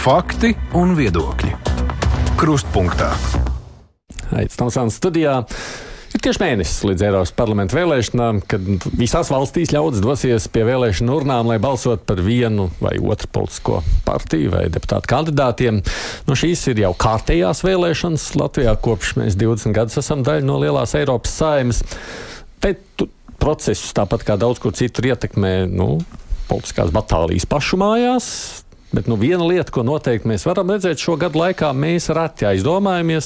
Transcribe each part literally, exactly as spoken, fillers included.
Fakti un viedokļi. Krustpunktā. Aicināts studijā. Ir tieši mēnesis līdz Eiropas parlamenta vēlēšanām, kad visās valstīs ļaudis dosies pie vēlēšanu urnām, lai balsot par vienu vai otru politisko partiju vai deputātu kandidātiem. Nu, šīs ir jau kārtējās vēlēšanas Latvijā, kopš mēs divdesmit gadus esam daļa no lielās Eiropas saeimas. Te procesus, tāpat kā daudz kur citur, ietekmē nu, politiskās batālijas pašu mājās. Bet nu, viena lieta, ko noteikti mēs varam redzēt šo gadu laikā, mēs reti aizdomājamies,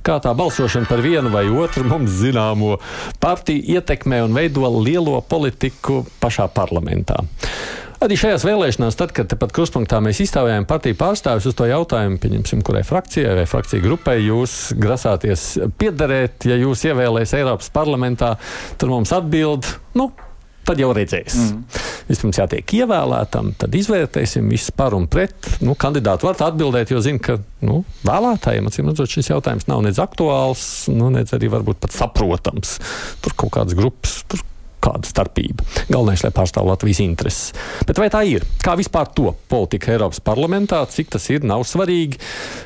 kā tā balsošana par vienu vai otru mums zināmo partiju ietekmē un veido lielo politiku pašā parlamentā. Arī šajās vēlēšanās, tad, kad tepat Krustpunktā mēs izstāvējām partiju pārstāvis uz to jautājumu, pieņemsim, kurai frakcijai vai frakcija grupai jūs grasāties piederēt, ja jūs ievēlēs Eiropas parlamentā, tad mums atbild, nu, tad jau redzēs. Mm. Vispirms jātiek ievēlētam, tad izvērtēsim visu par un pret. Nu, kandidāti var atbildēt, jo zina, ka nu, vēlētājiem, acīm redzot, šis jautājums nav nedz aktuāls, nu, nedz arī varbūt pat saprotams. Tur kaut kādas grupas, tur kāda starpība. Galvenais, lai pārstāv Latvijas intereses. Bet vai tā ir? Kā vispār to politika Eiropas parlamentā? Cik tas ir? Nav svarīgi.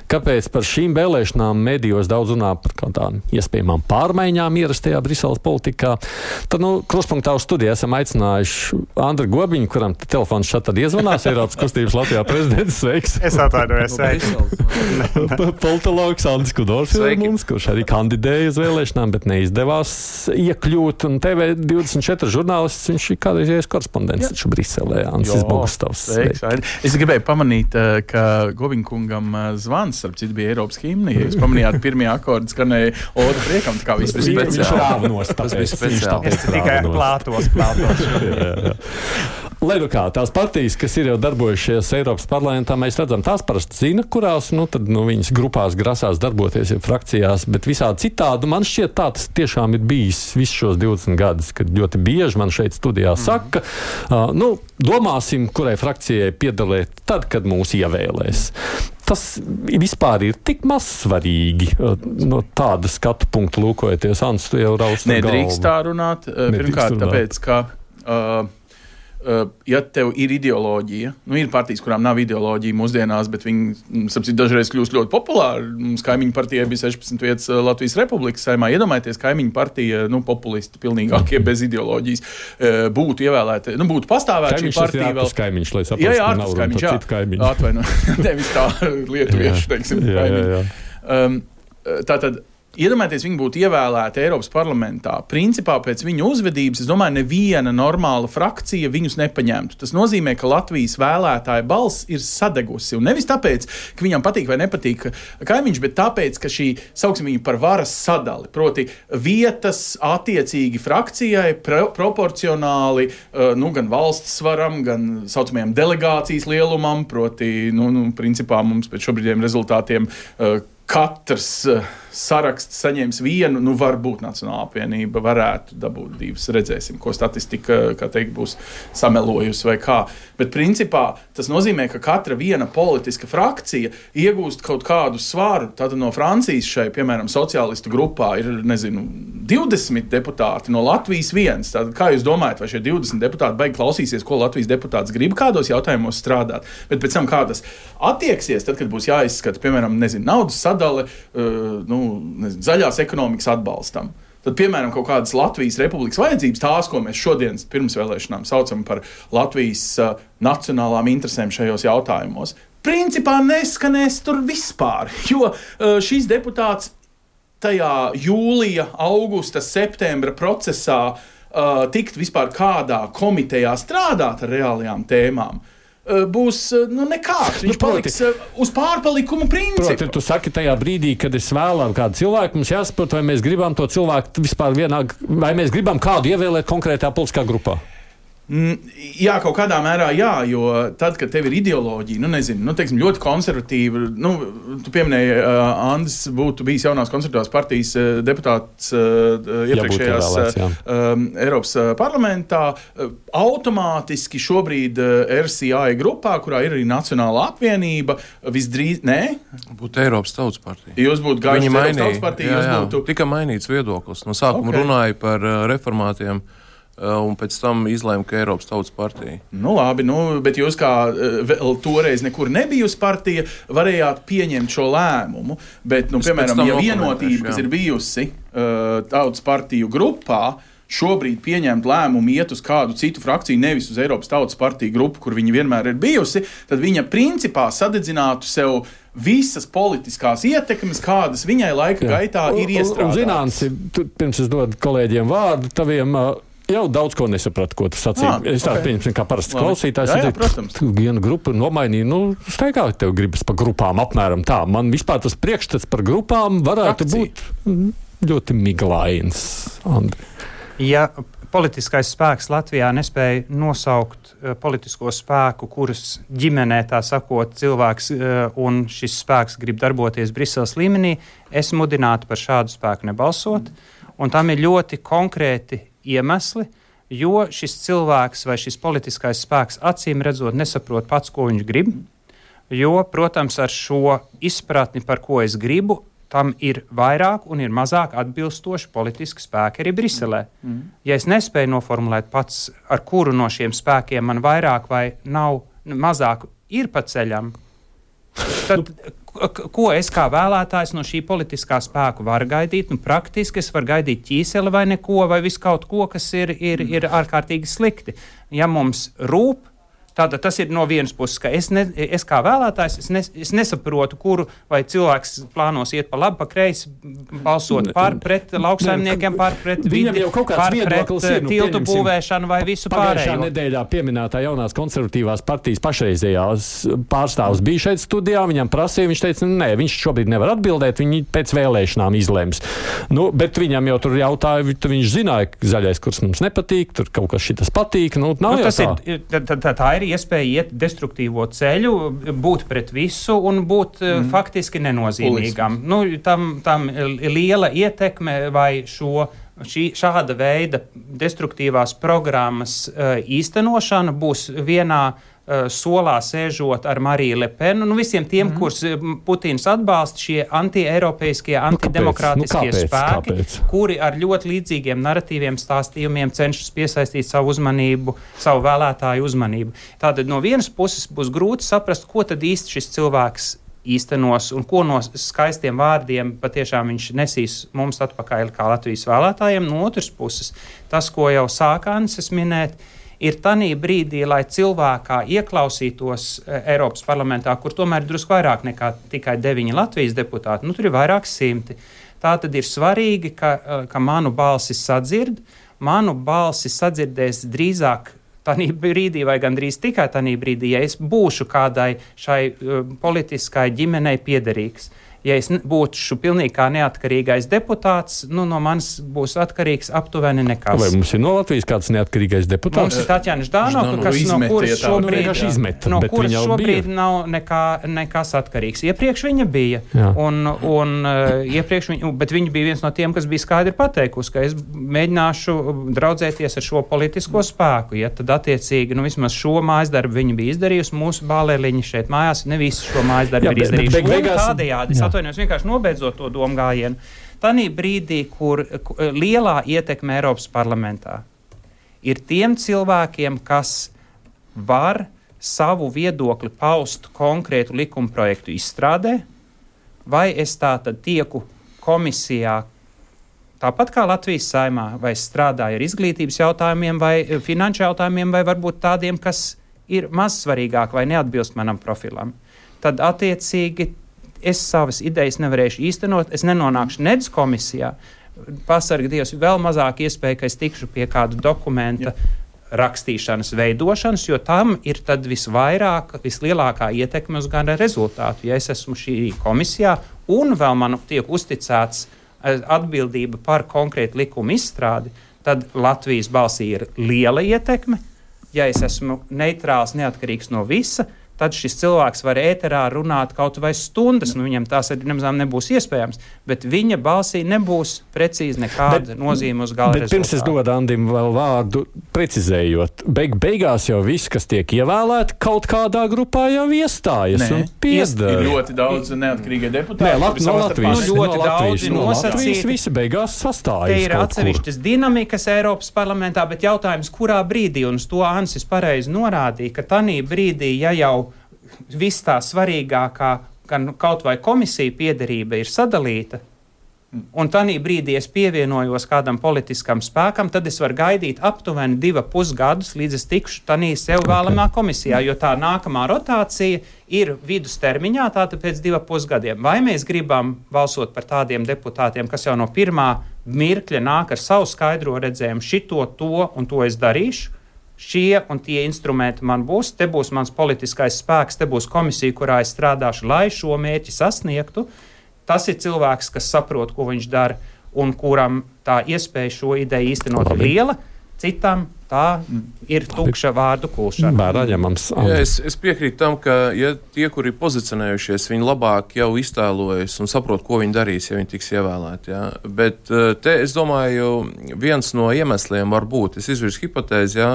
Kāpēc par šīm vēlēšanām medijos daudz runā par kādām iespējamām pārmaiņām ierastajā Briseles politikā? Tad, nu, Krustpunktā uz studiju esam aicinājuši Andru Gobiņu, kuram telefons šeit tad iezvanās, Eiropas kustības Latvijā prezidents. Sveiks! Es atvainojos, sveiks! Politologs Andris Kudors ir mums, kurš arī kandidēja uz vēlēšanām, bet neizdevās iekļūt. Un T V divdesmit četri žurnālists, viņš ir kādreiz korespondents taču Briselē, Ansis Bogustovs. Es gribēju pamanīt, ka Gobiņkungam zvans, starp citu, bija Eiropas himni. Jūs pamanījāt, pirmie akordi skanēja odu priekam, tā kā viss bija speciāli. Viņš rāvnos, tāpēc. Es tikai plātos, plātos. Lai nu kā, tās partijas, kas ir jau darbojušies Eiropas parlamentā, mēs redzam, tās parasti zina, kurās, nu, tad, nu, viņas grupās grasās darboties, ja frakcijās, bet visādi citādi, man šķiet tā, tas tiešām ir bijis visus šos divdesmit gadus, kad ļoti bieži man šeit studijā saka, mm. uh, nu, domāsim, kurai frakcijai piedalēt tad, kad mūs ievēlēs. Tas vispār ir tik maz svarīgi uh, no tāda skatu punktu lūkojoties. Ants, tu jau raust galvu. Nedrīkst tā runāt, pirmkārt, tāpēc, ka uh, Uh, ja tev ir ideoloģija, nu ir partijas, kurām nav ideoloģija mūsdienās, bet viņi, sapcīt, dažreiz kļūst ļoti populāri. Mums kaimiņu partijai bija sešpadsmit vietas Latvijas Republikas saimā. Iedomājieties, kaimiņu partija, nu, populisti pilnīgākie bez ideoloģijas, uh, būtu ievēlēti, nu, būtu pastāvēt šī partija vēl. Kaimiņš, lai saprastu, jā, jā, ka nav runa par citu kaimiņu. Atvaino, nevis tā lietuviešu, teiksim, jā, kaimiņu. Jā, jā. Um, tātad, iedomājieties, viņi būtu ievēlēti Eiropas parlamentā. Principā pēc viņu uzvedības, es domāju, neviena normāla frakcija viņus nepaņemtu. Tas nozīmē, ka Latvijas vēlētāja balss ir sadegusi. Un nevis tāpēc, ka viņam patīk vai nepatīk kaimiņš, bet tāpēc, ka šī, sauksim viņu par varas sadali, proti vietas attiecīgi frakcijai pro- proporcionāli, nu, gan valsts svaram, gan saucamajam delegācijas lielumam, proti, nu, nu principā mums pēc šobrīdiem rezultātiem katrs uh, saraksts saņems vienu, nu varbūt Nacionālā apvienība varētu dabūt divas, redzēsim, ko statistika, kā teikt, būs samelojusi vai kā. Bet principā tas nozīmē, ka katra viena politiska frakcija iegūst kaut kādu svaru. Tātad no Francijas šai, piemēram, sociālistu grupā ir, nezinu, divdesmit deputāti, no Latvijas viens. Tātad, kā jūs domājat, vai šie divdesmit deputāti baigi klausīsies, ko Latvijas deputāts grib kādos jautājumos strādāt? Bet pēc tam kā tas attieksies, tad, kad būs jāizskata, piemēram, nezinu, naudas sadale, uh, nu, nezinu, zaļās ekonomikas atbalstam. Tad, piemēram, kaut kādas Latvijas Republikas vajadzības, tās, ko mēs šodien pirmsvēlēšanām saucam par Latvijas uh, nacionālām interesēm šajos jautājumos, principā neskanēs tur vispār, jo uh, šīs deputāts tajā jūlija, augusta, septembra procesā uh, tikt vispār kādā komitejā strādāt ar reālajām tēmām, būs, nu, nekāds. Viņš nu, paliks uz pārpalikuma principu. Proti, tu saki tajā brīdī, kad es vēlam kādu cilvēku, mums jāsaprot, vai mēs gribam to cilvēku vispār vienā, vai mēs gribam kādu ievēlēt konkrētā politiskā grupā. Mm, jā, kaut kādā mērā jā, jo tad, kad tev ir ideoloģija, nu nezinu, nu teiksim, ļoti konservatīva, nu, tu pieminēji, uh, Andis būtu bijis jaunās konservatīvās partijas uh, deputāts uh, iepriekšējās uh, um, Eiropas uh, parlamentā, uh, automātiski šobrīd uh, R C I grupā, kurā ir arī Nacionālā apvienība, visdrīz, nē? Būtu Eiropas Tautas partija. Jūs būtu gājuši Eiropas Tautas partija, jā, jūs jā. būtu... Tika mainīts viedoklis. No sākuma okay. runāja par uh, reformātiem un pēc tam izlēma, ka Eiropas Tautas partija. Nu labi, nu, bet jūs kā vēl toreiz nekur nebijusi partija, varējāt pieņemt šo lēmumu, bet, nu, piemēram, ja Vienotība, kas ir bijusi uh, Tautas partiju grupā, šobrīd pieņemt lēmumu iet uz kādu citu frakciju, nevis uz Eiropas Tautas partiju grupu, kur viņa vienmēr ir bijusi, tad viņa principā sadedzinātu sev visas politiskās ietekmes, kādas viņai laika Jā. gaitā ir iestrādātas. Un, un zināms, pirms es dodu kolēģiem vārdu, taviem jau daudz ko nesapratu, ko tu sacīji. Ah, es tādu okay. pieņemsim, kā parasts klausītājs. Jā, jā, protams. Tu vienu grupu nomainīji, nu, steigā tev gribas pa grupām apmēram tā. Man vispār tas priekšstats par grupām varētu Frakcija. būt ļoti miglains. Andri. Ja politiskais spēks Latvijā nespēja nosaukt uh, politisko spēku, kuras ģimenē, tā sakot, cilvēks uh, un šis spēks grib darboties Briseles līmenī, es mudinātu par šādu spēku nebalsot. Un tam ir ļoti konkrēti iemesli, jo šis cilvēks vai šis politiskais spēks acīm redzot nesaprot pats, ko viņš grib. Jo, protams, ar šo izpratni, par ko es gribu, tam ir vairāk un ir mazāk atbilstoši politiski spēki arī Briselē. Mm. Ja es nespēju noformulēt pats, ar kuru no šiem spēkiem man vairāk vai nav mazāk ir pa ceļam, tad ko es kā vēlētājs no šī politiskā spēku varu gaidīt? Nu, praktiski es varu gaidīt ķīseli vai neko, vai visu kaut ko, kas ir, ir, ir ārkārtīgi slikti. Ja mums rūp, tātad tas ir no vienas puses, ka es, ne, es kā vēlētājs, es, ne, es nesaprotu, kuru vai cilvēks plānos iet pa labi, pa kreisi, balsot pār pret lauksaimniekiem, pār pret vidi, pār pret ir, nu, tiltu būvēšanu vai visu pārējo. Pagājušā nedēļā pieminētā jaunās konservatīvās partijas pašreizējās pārstāvs bija šeit studijā, viņam prasīja, viņš teica, nē, viņš šobrīd nevar atbildēt, viņi pēc vēlēšanām izlems. Nu, bet viņam jau tur jautāja, viņš zināja, ka zaļais kurs mums nepatīk, tur kaut kas šitas patīk, nu, nav nu, jau tā. Ir, tā, tā, tā ir iespēja iet destruktīvo ceļu, būt pret visu un būt mm. faktiski nenozīmīgam. Nu, tam, tam liela ietekme vai šo, šī, šāda veida destruktīvās programmas uh, īstenošana būs vienā uh, solā sēžot ar Mariju Le Penu. Nu, visiem tiem, mm. kurus Putins atbalsta, šie anti-eiropeiskie, antidemokrātiskie nu, kāpēc? Nu, kāpēc? spēki, kāpēc? Kuri ar ļoti līdzīgiem narratīviem, stāstījumiem cenšas piesaistīt savu uzmanību, savu vēlētāju uzmanību. Tātad no vienas puses būs grūti saprast, ko tad īsti šis cilvēks īstenos un ko no skaistiem vārdiem patiešām viņš nesīs mums atpakaļ kā Latvijas vēlētājiem. No otras puses, tas, ko jau sākānis es minēt, ir tanī brīdī, lai cilvēkā ieklausītos Eiropas parlamentā, kur tomēr ir drusku vairāk nekā tikai deviņi Latvijas deputāti, nu tur ir vairāk simti. Tā tad ir svarīgi, ka, ka manu balsi sadzird, manu balsi sadzirdēs drīzāk tanī brīdī vai gandrīz tikai tanī brīdī, ja es būšu kādai šai uh, politiskai ģimenei piederīgs. Ja es būšu pilnīgi kā neatkarīgais deputāts, nu, no manis būs atkarīgs aptuveni nekas. Vai mums ir no Latvijas kāds neatkarīgais deputāts? Mums ir Tatjana Ždānova, kas no kuras šobrīd, izmet, no kuras šobrīd nav nekā, nekas atkarīgs. Iepriekš viņa bija, un, un, uh, iepriekš viņa, bet viņa bija viens no tiem, kas bija skaidri pateikusi, ka es mēģināšu draudzēties ar šo politisko spēku. Ja, tad attiecīgi, nu, vismaz šo mājasdarbu viņa bija izdarījusi, mūsu bālēliņi šeit mājās ne visu šo mājasdarbu ir izdarījuši. Bet, bet, un tādējādi, atvainojos, vienkārši nobeidzot to domu gājienu. Tanī brīdī, kur, kur lielā ietekme Eiropas parlamentā ir tiem cilvēkiem, kas var savu viedokli paust konkrētu likuma projektu izstrādē, vai es tā tad tieku komisijā, tāpat kā Latvijas Saeimā, vai strādāju ar izglītības jautājumiem, vai finanšu jautājumiem, vai varbūt tādiem, kas ir maz svarīgāk vai neatbilst manam profilam. Tad attiecīgi es savas idejas nevarēšu īstenot, es nenonākšu nedz komisijā, pasarga Dievs, vēl mazāk iespēja, ka es tikšu pie kādu dokumenta Jā. rakstīšanas, veidošanas, jo tam ir tad visvairāk, vislielākā ietekme uz gana rezultātu. Ja es esmu šī komisijā un vēl man tiek uzticēts atbildība par konkrētu likumu izstrādi, tad Latvijas balsī ir liela ietekme. Ja es esmu neitrāls, neatkarīgs no visa, tad šis cilvēks var ēterā runāt kaut vai stundas, nu viņam tās arī nemazām nebūs iespējams, bet viņa balsī nebūs precīzi nekāda bet, nozīme uz gala bet rezultātu. Pirms es dodu Andim vēl vārdu precizējot, beig beigās jau viss, kas tiek ievēlēti, kaut kādā grupā jau iestājas Nē. un piedara. Ir ļoti daudz neatkarīgie deputāti. Nē, Lat- no Latvijas, nu, ļoti no daudzi no nosacīti. Latvijas visi beigās sastājas. Te ir atsevišķas dinamikas Eiropas parlamentā, bet jautājums, kurā brīdī, un uz to Ansis pareizi norādīja, ka tanī brīdī, ja jau viss tā svarīgākā, gan kaut vai komisija piederība ir sadalīta, un tanī brīdī es pievienojos kādam politiskam spēkam, tad es varu gaidīt aptuveni diva pusgadus, līdz es tikšu tanī sev vēlamā komisijā, jo tā nākamā rotācija ir vidustermiņā, tātad pēc diva pusgadiem. Vai mēs gribam balsot par tādiem deputātiem, kas jau no pirmā mirkļa nāk ar savu skaidro redzējumu, šito, to un to es darīšu, šie un tie instrumenti man būs, te būs mans politiskais spēks, te būs komisija, kurā es strādāšu, lai šo mērķi sasniegtu. Tas ir cilvēks, kas saprot, ko viņš dara un kuram tā iespēja šo ideju īstenot ir liela, citam tā ir tukša vārdu kulšana. Vērāņemams. Ja, es, es piekrītu tam, ka ja tie, kuri ir pozicionējušies, viņi labāk jau iztēlojas un saprot, ko viņi darīs, ja viņi tiks ievēlēti. Ja. Bet te, es domāju, viens no iemesliem var būt, es izvirsu hipotēzi, ja,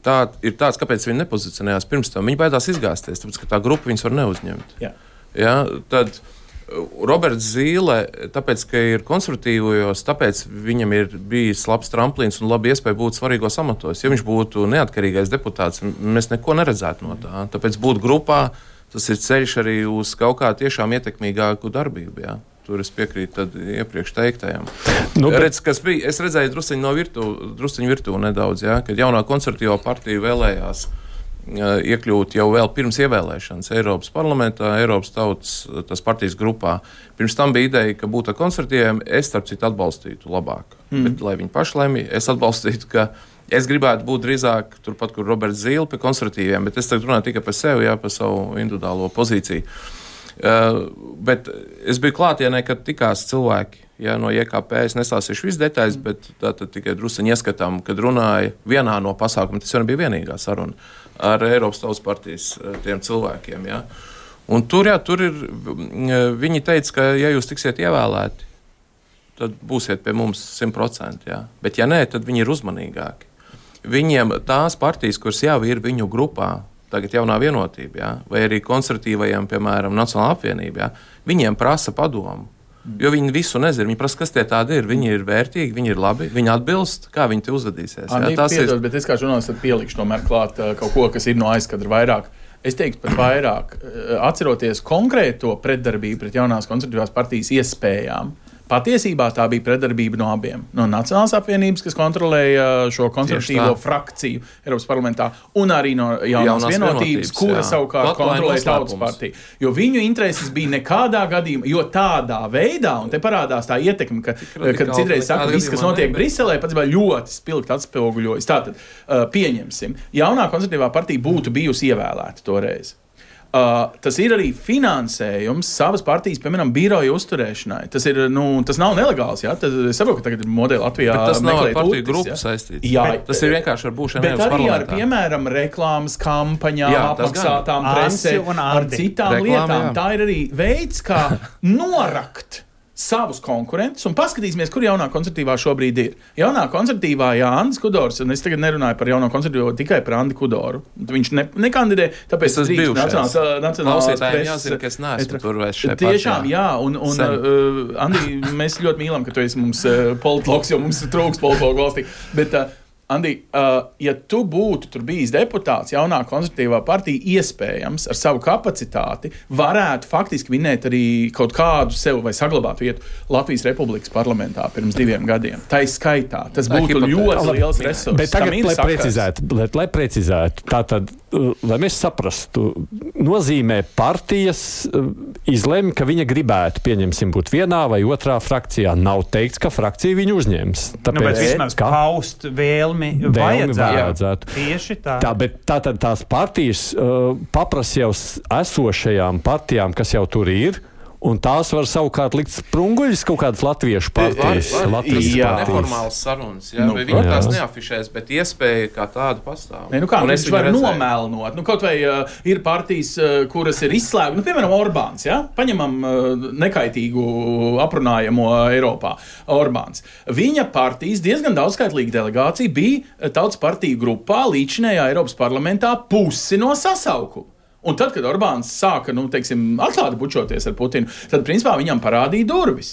tā ir tāds, kāpēc viņi nepozicionējās pirms tam. Viņi baidās izgāzties, tāpēc, ka tā grupa viņus var neuzņemt. Jā. Ja, tad Roberts Zīle, tāpēc, ka ir konservatīvojos, tāpēc viņam ir bijis labs tramplīns un labi iespēja būt svarīgos amatos. Ja viņš būtu neatkarīgais deputāts, mēs neko neredzētu no tā. Tāpēc būt grupā, tas ir ceļš arī uz kaut kā tiešām ietekmīgāku darbību. Ja? Tur es piekrītu tad iepriekš teiktajam. Nu, bet... Redz, kas bija, es redzēju drusciņu no virtuvu, drusciņu virtuvu nedaudz, ja? Kad jaunā konservatīvā partija vēlējās iekļūt jau vēl pirms ievēlēšanas Eiropas parlamentā, Eiropas tautas tas partijas grupā. Pirms tam bija ideja, ka būtu ar konservatīviem, es starp citu atbalstītu labāk. Mm. Bet, lai viņi paši lemj, es atbalstītu, ka es gribētu būt drīzāk turpat, kur Roberts Zīle pie konservatīviem, bet es tagad runāju tikai par sevi, jā, par savu individuālo pozīciju. Uh, bet es biju klātienē, kad tikās cilvēki, jā, no J K P, es nestāstīšu visu detaļas, mm. bet tā tad tikai drusiņi ieskatām, kad runāja vienā no pasākumiem, tas jau nebija vienīgā saruna ar Eiropas Tautas partijas tiem cilvēkiem, jā. Un tur, jā, tur ir, viņi teica, ka ja jūs tiksiet ievēlēti, tad būsiet pie mums simt procenti, jā. Bet ja nē, tad viņi ir uzmanīgāki. Viņiem tās partijas, kuras jau ir viņu grupā, tagad jaunā vienotība, jā, vai arī konservatīvajiem, piemēram, Nacionālā apvienība, jā, viņiem prasa padomu. Jo viņi visu nezina, viņi prasa, kas tie tādi ir. Viņi ir vērtīgi, viņi ir labi, viņi atbilst, kā viņi te uzvedīsies. Andi, jā, tas piedod, ir... Bet es kā žurnālists pielikšu tomēr klāt uh, kaut ko, kas ir no aizkadra vairāk. Es teiktu pat vairāk, uh, atceroties konkrēto pretdarbību pret jaunās konservatīvās partijas iespējām. Patiesībā tā bija pretdarbība no abiem. No Nacionālās apvienības, kas kontrolēja šo konservatīvo frakciju Eiropas parlamentā, un arī no jaunās, jaunās vienotības, vienotības, kura jā. savukārt kontrolēja Tautas partiju. Jo viņu intereses bija nekādā gadījumā, jo tādā veidā, un te parādās tā ietekme, ka, kad citreiz saka, viss, kas notiek Briselē, pats vēl ļoti spilgt atspoguļojas. Tātad, uh, pieņemsim, jaunā konservatīvā partija būtu bijusi ievēlēta toreiz. Uh, tas ir arī finansējums savas partijas, piemēram, biroja uzturēšanai. Tas, ir, nu, tas nav nelegāls, jā. Tas, es saprotu, ka tagad ir modeli Latvijā. Bet tas nav ar partiju utis, grupu saistīts. Jā, tas ir vienkārši ar būšanu Eiropas parlamentā. Bet arī ar, piemēram, reklāmas kampaņām, jā, apmaksātām presē, ar citām Reklāma, lietām. Jā. Tā ir arī veids, kā norakt savus konkurentus un paskatīsimies, kur jaunā konservatīvā šobrīd ir. Jaunā konservatīvā, jā, Andis Kudors, un es tagad nerunāju par jauno konservatīvo, tikai par Andi Kudoru. Viņš ne, nekandidē, tāpēc tas bija nacionālās klausītājiem jāzina, ka es neesmu tur vairs šeit pašā. Tiešām, jā, un, un uh, Andi, mēs ļoti mīlam, ka tu esi mums uh, politologs, jo mums trūks politologu valstī, bet uh, Andi, uh, ja tu būtu tur bijis deputāts, jaunā konservatīvā partija iespējams ar savu kapacitāti varētu faktiski vinēt arī kaut kādu sev vai saglabāt vietu Latvijas Republikas parlamentā pirms diviem gadiem. Tā ir skaitā. Tas būtu ļoti liels resurss. Bet tagad, lai precizētu, lai, lai precizētu, tātad, lai mēs saprastu, nozīmē partijas izlemj, ka viņa gribētu, pieņemsim, būt vienā vai otrā frakcijā. Nav teikts, ka frakcija viņu uzņems. Tāpēc, nu, bet vismaz ka... paust vēlmi Vēlmi vajadzētu. Tieši tā. tā bet tātad tās partijas uh, paprasa jau esošajām partijām, kas jau tur ir, Un tās var savukārt likt sprunguļus kaut kādas latviešu partijas. Var, var, Latvijas jā. partijas. Neformāls sarunas, jā, Nu, vai viņi jā. tās neafišēs, bet iespēja kā tāda pastāv. Ne, nu kā, Un viņš es viņu var redzēju. nomēlnot. Nu, kaut vai uh, ir partijas, uh, kuras ir izslēgtas, nu, piemēram, Orbāns. Ja? Paņemam uh, nekaitīgu aprunājamo Eiropā. Orbāns. Viņa partijas diezgan daudzskaitlīga delegācija bija Tautas partiju grupā līdzinējā Eiropas parlamentā pusi no sasaukuma. Un tad, kad Orbāns sāka, nu, teiksim, atklāti bučoties ar Putinu, tad, principā, viņam parādīja durvis.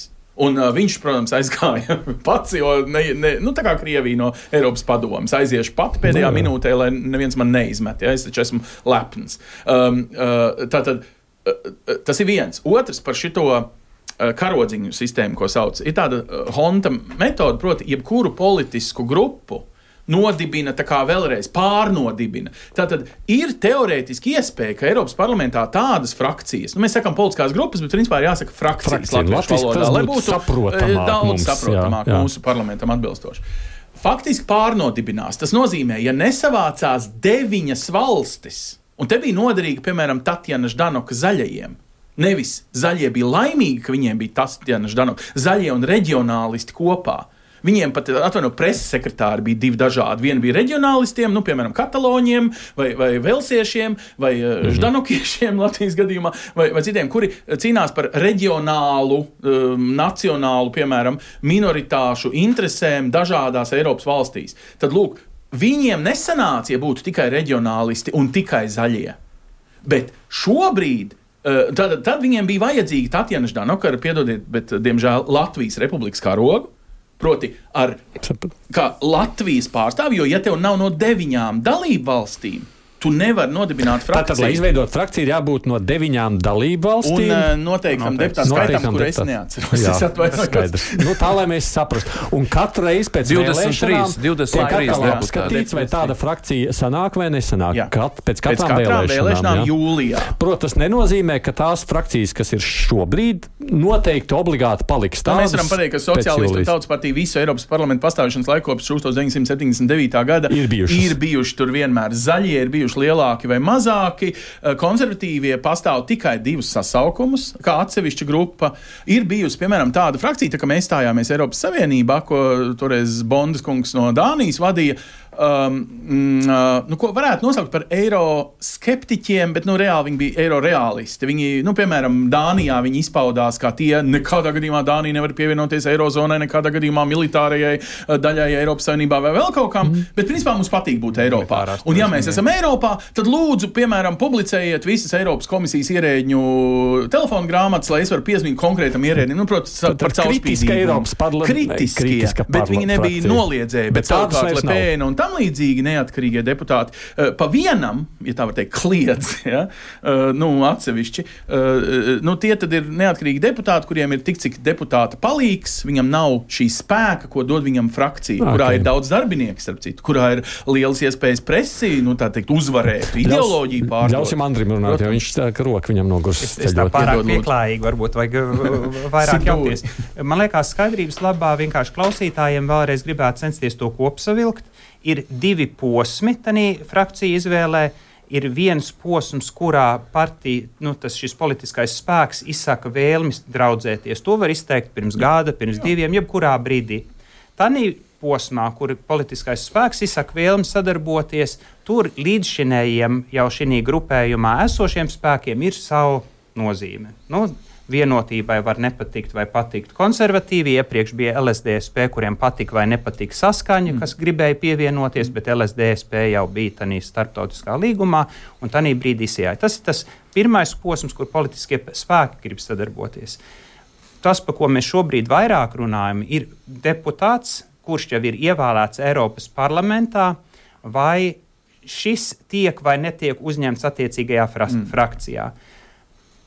Un uh, viņš, protams, aizgāja pats, jo ne, ne, nu, tā kā Krievija no Eiropas padomes aiziešu pati pēdējā no, minūtē, lai neviens man neizmet. Ja? Es taču esmu lepns. Um, uh, tātad, uh, tas ir viens. Otrs par šito uh, karodziņu sistēmu, ko sauc, ir tāda uh, Honta metode, proti, jebkuru politisku grupu nodibina, tā kā vēlreiz pārnodibina. Tātad ir teorētiski iespēja, ka Eiropas parlamentā tādas frakcijas, nu mēs sakam politiskās grupas, bet principā ir jāsaka frakcijas Frakcija, latviešu valodā, lai būtu saprotamāk daudz mums, saprotamāk jā, jā. mūsu parlamentam atbilstoši. Faktiski pārnodibinās. Tas nozīmē, ja nesavācās deviņas valstis, un te bija noderīga, piemēram, Tatjana Ždanoka zaļajiem, nevis zaļie bija laimīgi, ka viņiem bija Tatjana Ždanoka, zaļie un reģionālisti kopā. Viņiem pat, atvaino, preses sekretāri bija divi dažādi. Viena bija reģionālistiem, nu, piemēram, kataloņiem, vai, vai velsiešiem, vai mm-hmm. ždanokiešiem Latvijas gadījumā, vai, vai citiem, kuri cīnās par reģionālu, um, nacionālu, piemēram, minoritāšu interesēm dažādās Eiropas valstīs. Tad, lūk, viņiem nesanāca, ja būtu tikai reģionālisti un tikai zaļie. Bet šobrīd uh, tad, tad viņiem bija vajadzīga Tatjana Ždanoka, piedodiet, bet, diemžēl, Latvijas republikas karogu. Proti, ar kā Latvijas pārstāvi, jo, ja tev nav no deviņām dalību valstīm, tu nevari nodibināt frakciju. Tātad, lai izveidot frakciju, ir jābūt no deviņām dalību valstīm. Un uh, noteiktam deputātu skaitam, kur es neatceros. Jā, es atvainojos. skaidrs. Nu, tā, lai mēs saprastu. Un katru reizi pēc divdesmit trīs, vēlēšanām divdesmit tiek trīs atkal deputāti. apskatīts, vai tāda frakcija sanāk vai nesanāk. Jā. Kat, pēc katrām, Pēc katrām vēlēšanām, vēlēšanām jūlijā. Protams, tas nenozīmē, ka tās frakcijas, kas ir šobrīd, noteikti obligāti paliks Tā tādas. mēs varam pateikt, ka Sociālistu un Tautas partija visu Eiropas parlamentu pastāvēšanas laiku kopš deviņdesmit septiņdesmit devītā gada Ir bijušas. ir bijuši tur vienmēr zaļie, ir bijuši lielāki vai mazāki. Konservatīvie pastāv tikai divus sasaukumus, kā atsevišķa grupa. Ir bijusi, piemēram, tāda frakcija, tā kā mēs stājāmies Eiropas Savienībā, ko toreiz Bondas kungs no Dānijas vadīja. Um, uh, nu, ko varētu nosaukt par eiroskeptiķiem, bet nu, reāli viņi bija eiroreālisti. Viņi, nu, piemēram, Dānijā viņi izpaudās, kā tie nekādā gadījumā Dānija nevar pievienoties eirozonai, nekādā gadījumā militārajai daļai Eiropas Savienībā vai vēl kaut kam, mm. bet principā mums patīk būt Eiropā. Un ja mēs esam Eiropā, tad lūdzu, piemēram, publicējiet visas Eiropas komisijas ierēģņu telefonu grāmatas, lai es varu piezvanīt konkrētam ierēdnim, nu, protams, par caurspīdīgumu. Kritiskie, bet viņi nebija noliedzēji, bet, bet savukārt Le Pen un tam līdzīgi neatkarīgie deputāti uh, pa vienam, ja tā var teikt, kliedz, ja, uh, nu, atsevišķi, uh, nu, tie tad ir neatkarīgi deputāti, kuriem ir tik, cik deputāta palīgs, viņam nav šī spēka, ko dod viņam frakcija, okay. kurā ir daudz darbinieki, starp citu, kurā ir lielas iespējas presi, nu, tā teikt, uzvarēt, ideoloģiju pārdot. Ļausim Andrim runāt, jo viņš tā, ka roka viņam nogurs. Es, es tā pārāk pieklājīgi, varbūt vajag vairāk jaukties. Man liekas, skaidrības labā vienkārši klausītājiem vēlreiz gribētu censties to kopsavilkt. Ir divi posmi tanī frakcija izvēlē. Ir viens posms, kurā partija, nu, tas šis politiskais spēks izsaka vēlmes draudzēties. To var izteikt pirms gada, pirms diviem, jebkurā brīdī. Tanī posmā, kur politiskais spēks izsaka vēlmes sadarboties, tur līdzšinējiem jau šī grupējumā esošiem spēkiem ir savu nozīme. Nu, vienotībai var nepatikt vai patikt konservatīvi. Iepriekš bija L S D S P, kuriem patika vai nepatika saskaņa, mm. kas gribēja pievienoties, bet L S D S P jau bija tanī starptautiskā līgumā, un tanī brīdī izjāja. Tas ir tas pirmais posms, kur politiskie spēki grib sadarboties. Tas, par ko mēs šobrīd vairāk runājam, ir deputāts, kurš jau ir ievēlēts Eiropas parlamentā, vai šis tiek vai netiek uzņemts attiecīgajā fra- mm. frakcijā.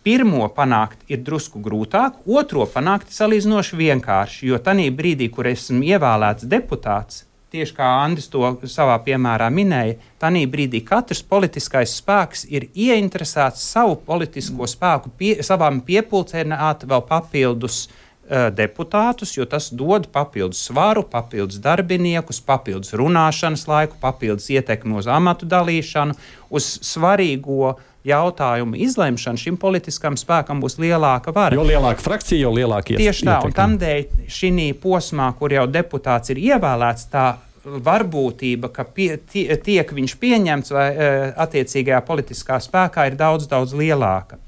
Pirmo panākt ir drusku grūtāk, otro panākt salīdzinoši vienkārši, jo tanī brīdī, kur esmu ievēlēts deputāts, tieši kā Andris to savā piemērā minēja, tanī brīdī katrs politiskais spēks ir ieinteresēts savu politisko spēku, pie, savām piepulcēnāt vēl papildus uh, deputātus, jo tas dod papildus svaru, papildus darbiniekus, papildus runāšanas laiku, papildus ietekmi uz amatu dalīšanu, uz svarīgo jautājumu izlemšanu, šim politiskam spēkam būs lielāka vara. Jo lielāka frakcija, jo lielāka ietekme. Tieši tā, un tamdēļ šī posmā, kur jau deputāts ir ievēlēts, tā varbūtība, ka pie, tie, tiek viņš pieņemts vai attiecīgajā politiskā spēkā, ir daudz, daudz lielāka.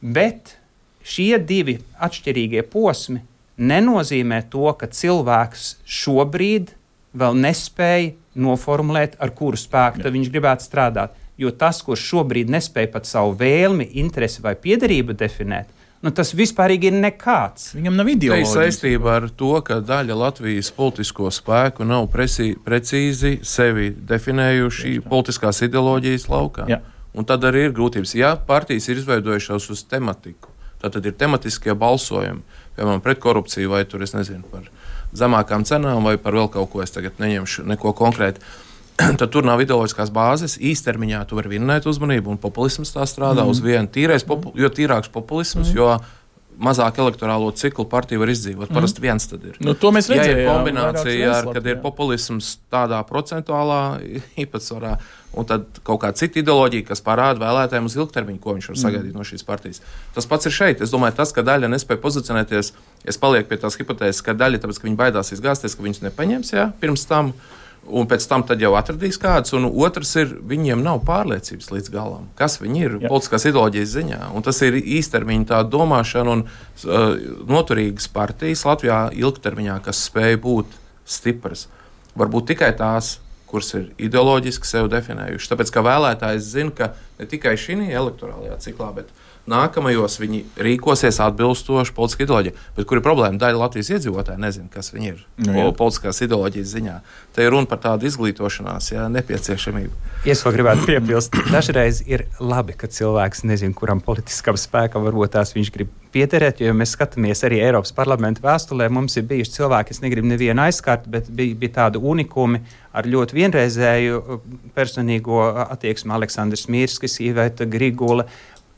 Bet šie divi atšķirīgie posmi nenozīmē to, ka cilvēks šobrīd vēl nespēja noformulēt, ar kuru spēku tad viņš gribētu strādāt. Jo tas, kurš šobrīd nespēja pat savu vēlmi, interesi vai piederību definēt, nu, tas vispārīgi ir nekāds. Viņam nav ideoloģijas. Tā ir saistība ar to, ka daļa Latvijas politisko spēku nav presī, precīzi sevi definējuši politiskās ideoloģijas laukā. Jā. Un tad arī ir grūtības. Ja partijas ir izveidojušās uz tematiku, tad, tad ir tematiskie balsojumi, piemēram, pret korupciju vai tur, es nezinu, par zemākām cenām vai par vēl kaut ko, es tagad neņemšu neko konkrēti. Tad tur nav ideoloģiskās bāzes. Īstermiņā tu vari vinnēt uzmanību, un populisms tā strādā mm. uz vienu tīrais, popu, jo tīrāks populisms, mm. jo mazāk elektorālo ciklu partija var izdzīvot. Mm. Parasti viens tad ir. Nu, to mēs redzējām. Ja ir kombinācija, ar, kad ir populisms tādā procentuālā īpatsvarā, un tad kaut kāda cita ideoloģija, kas parāda vēlētājiem uz ilgtermiņu, ko viņš var sagaidīt mm. no šīs partijas. Tas pats ir šeit. Es domāju, tas, ka daļa nespēja pozicionēties, es palieku pie tās hipotēzes, ka daļa, tāpēc, ka viņi baidās izgāzties, ka viņus nepaņems, jā, pirms tam, un pēc tam tad jau atradīs kāds, un otrs ir, viņiem nav pārliecības līdz galam, kas viņi ir jā. Politiskās ideoloģijas ziņā, un tas ir īstermiņa tā domāšana un uh, noturīgas partijas Latvijā ilgtermiņā, kas spēja būt stipras. Varbūt tikai tās, kuras ir ideoloģiski sev definējuši. Tāpēc, ka vēlētājs zina, ka ne tikai šī elektorālajā ciklā, bet nākamajos viņi rīkosies atbilstoši politiskā ideoloģija. Bet kur ir problēma? Daļa Latvijas iedzīvotāji nezina, kas viņi ir no, politiskās ideoloģijas ziņā. Te ir runa par tādu izglītošanās, jā, nepieciešamību. Es vēl gribētu piebilst, dažreiz ir labi, ka cilvēks nezina, kuram politiskam spēkam varbūt tās viņš grib piederēt, jo mēs skatāmies arī Eiropas parlamenta vēstulē, mums ir bijuši cilvēki, es negribu nevienu aizskart, bet bija, bija tādi unikumi ar ļoti vienreizēju personīgo attieksmi Aleksandrs Mirskis, Iveta Grigula,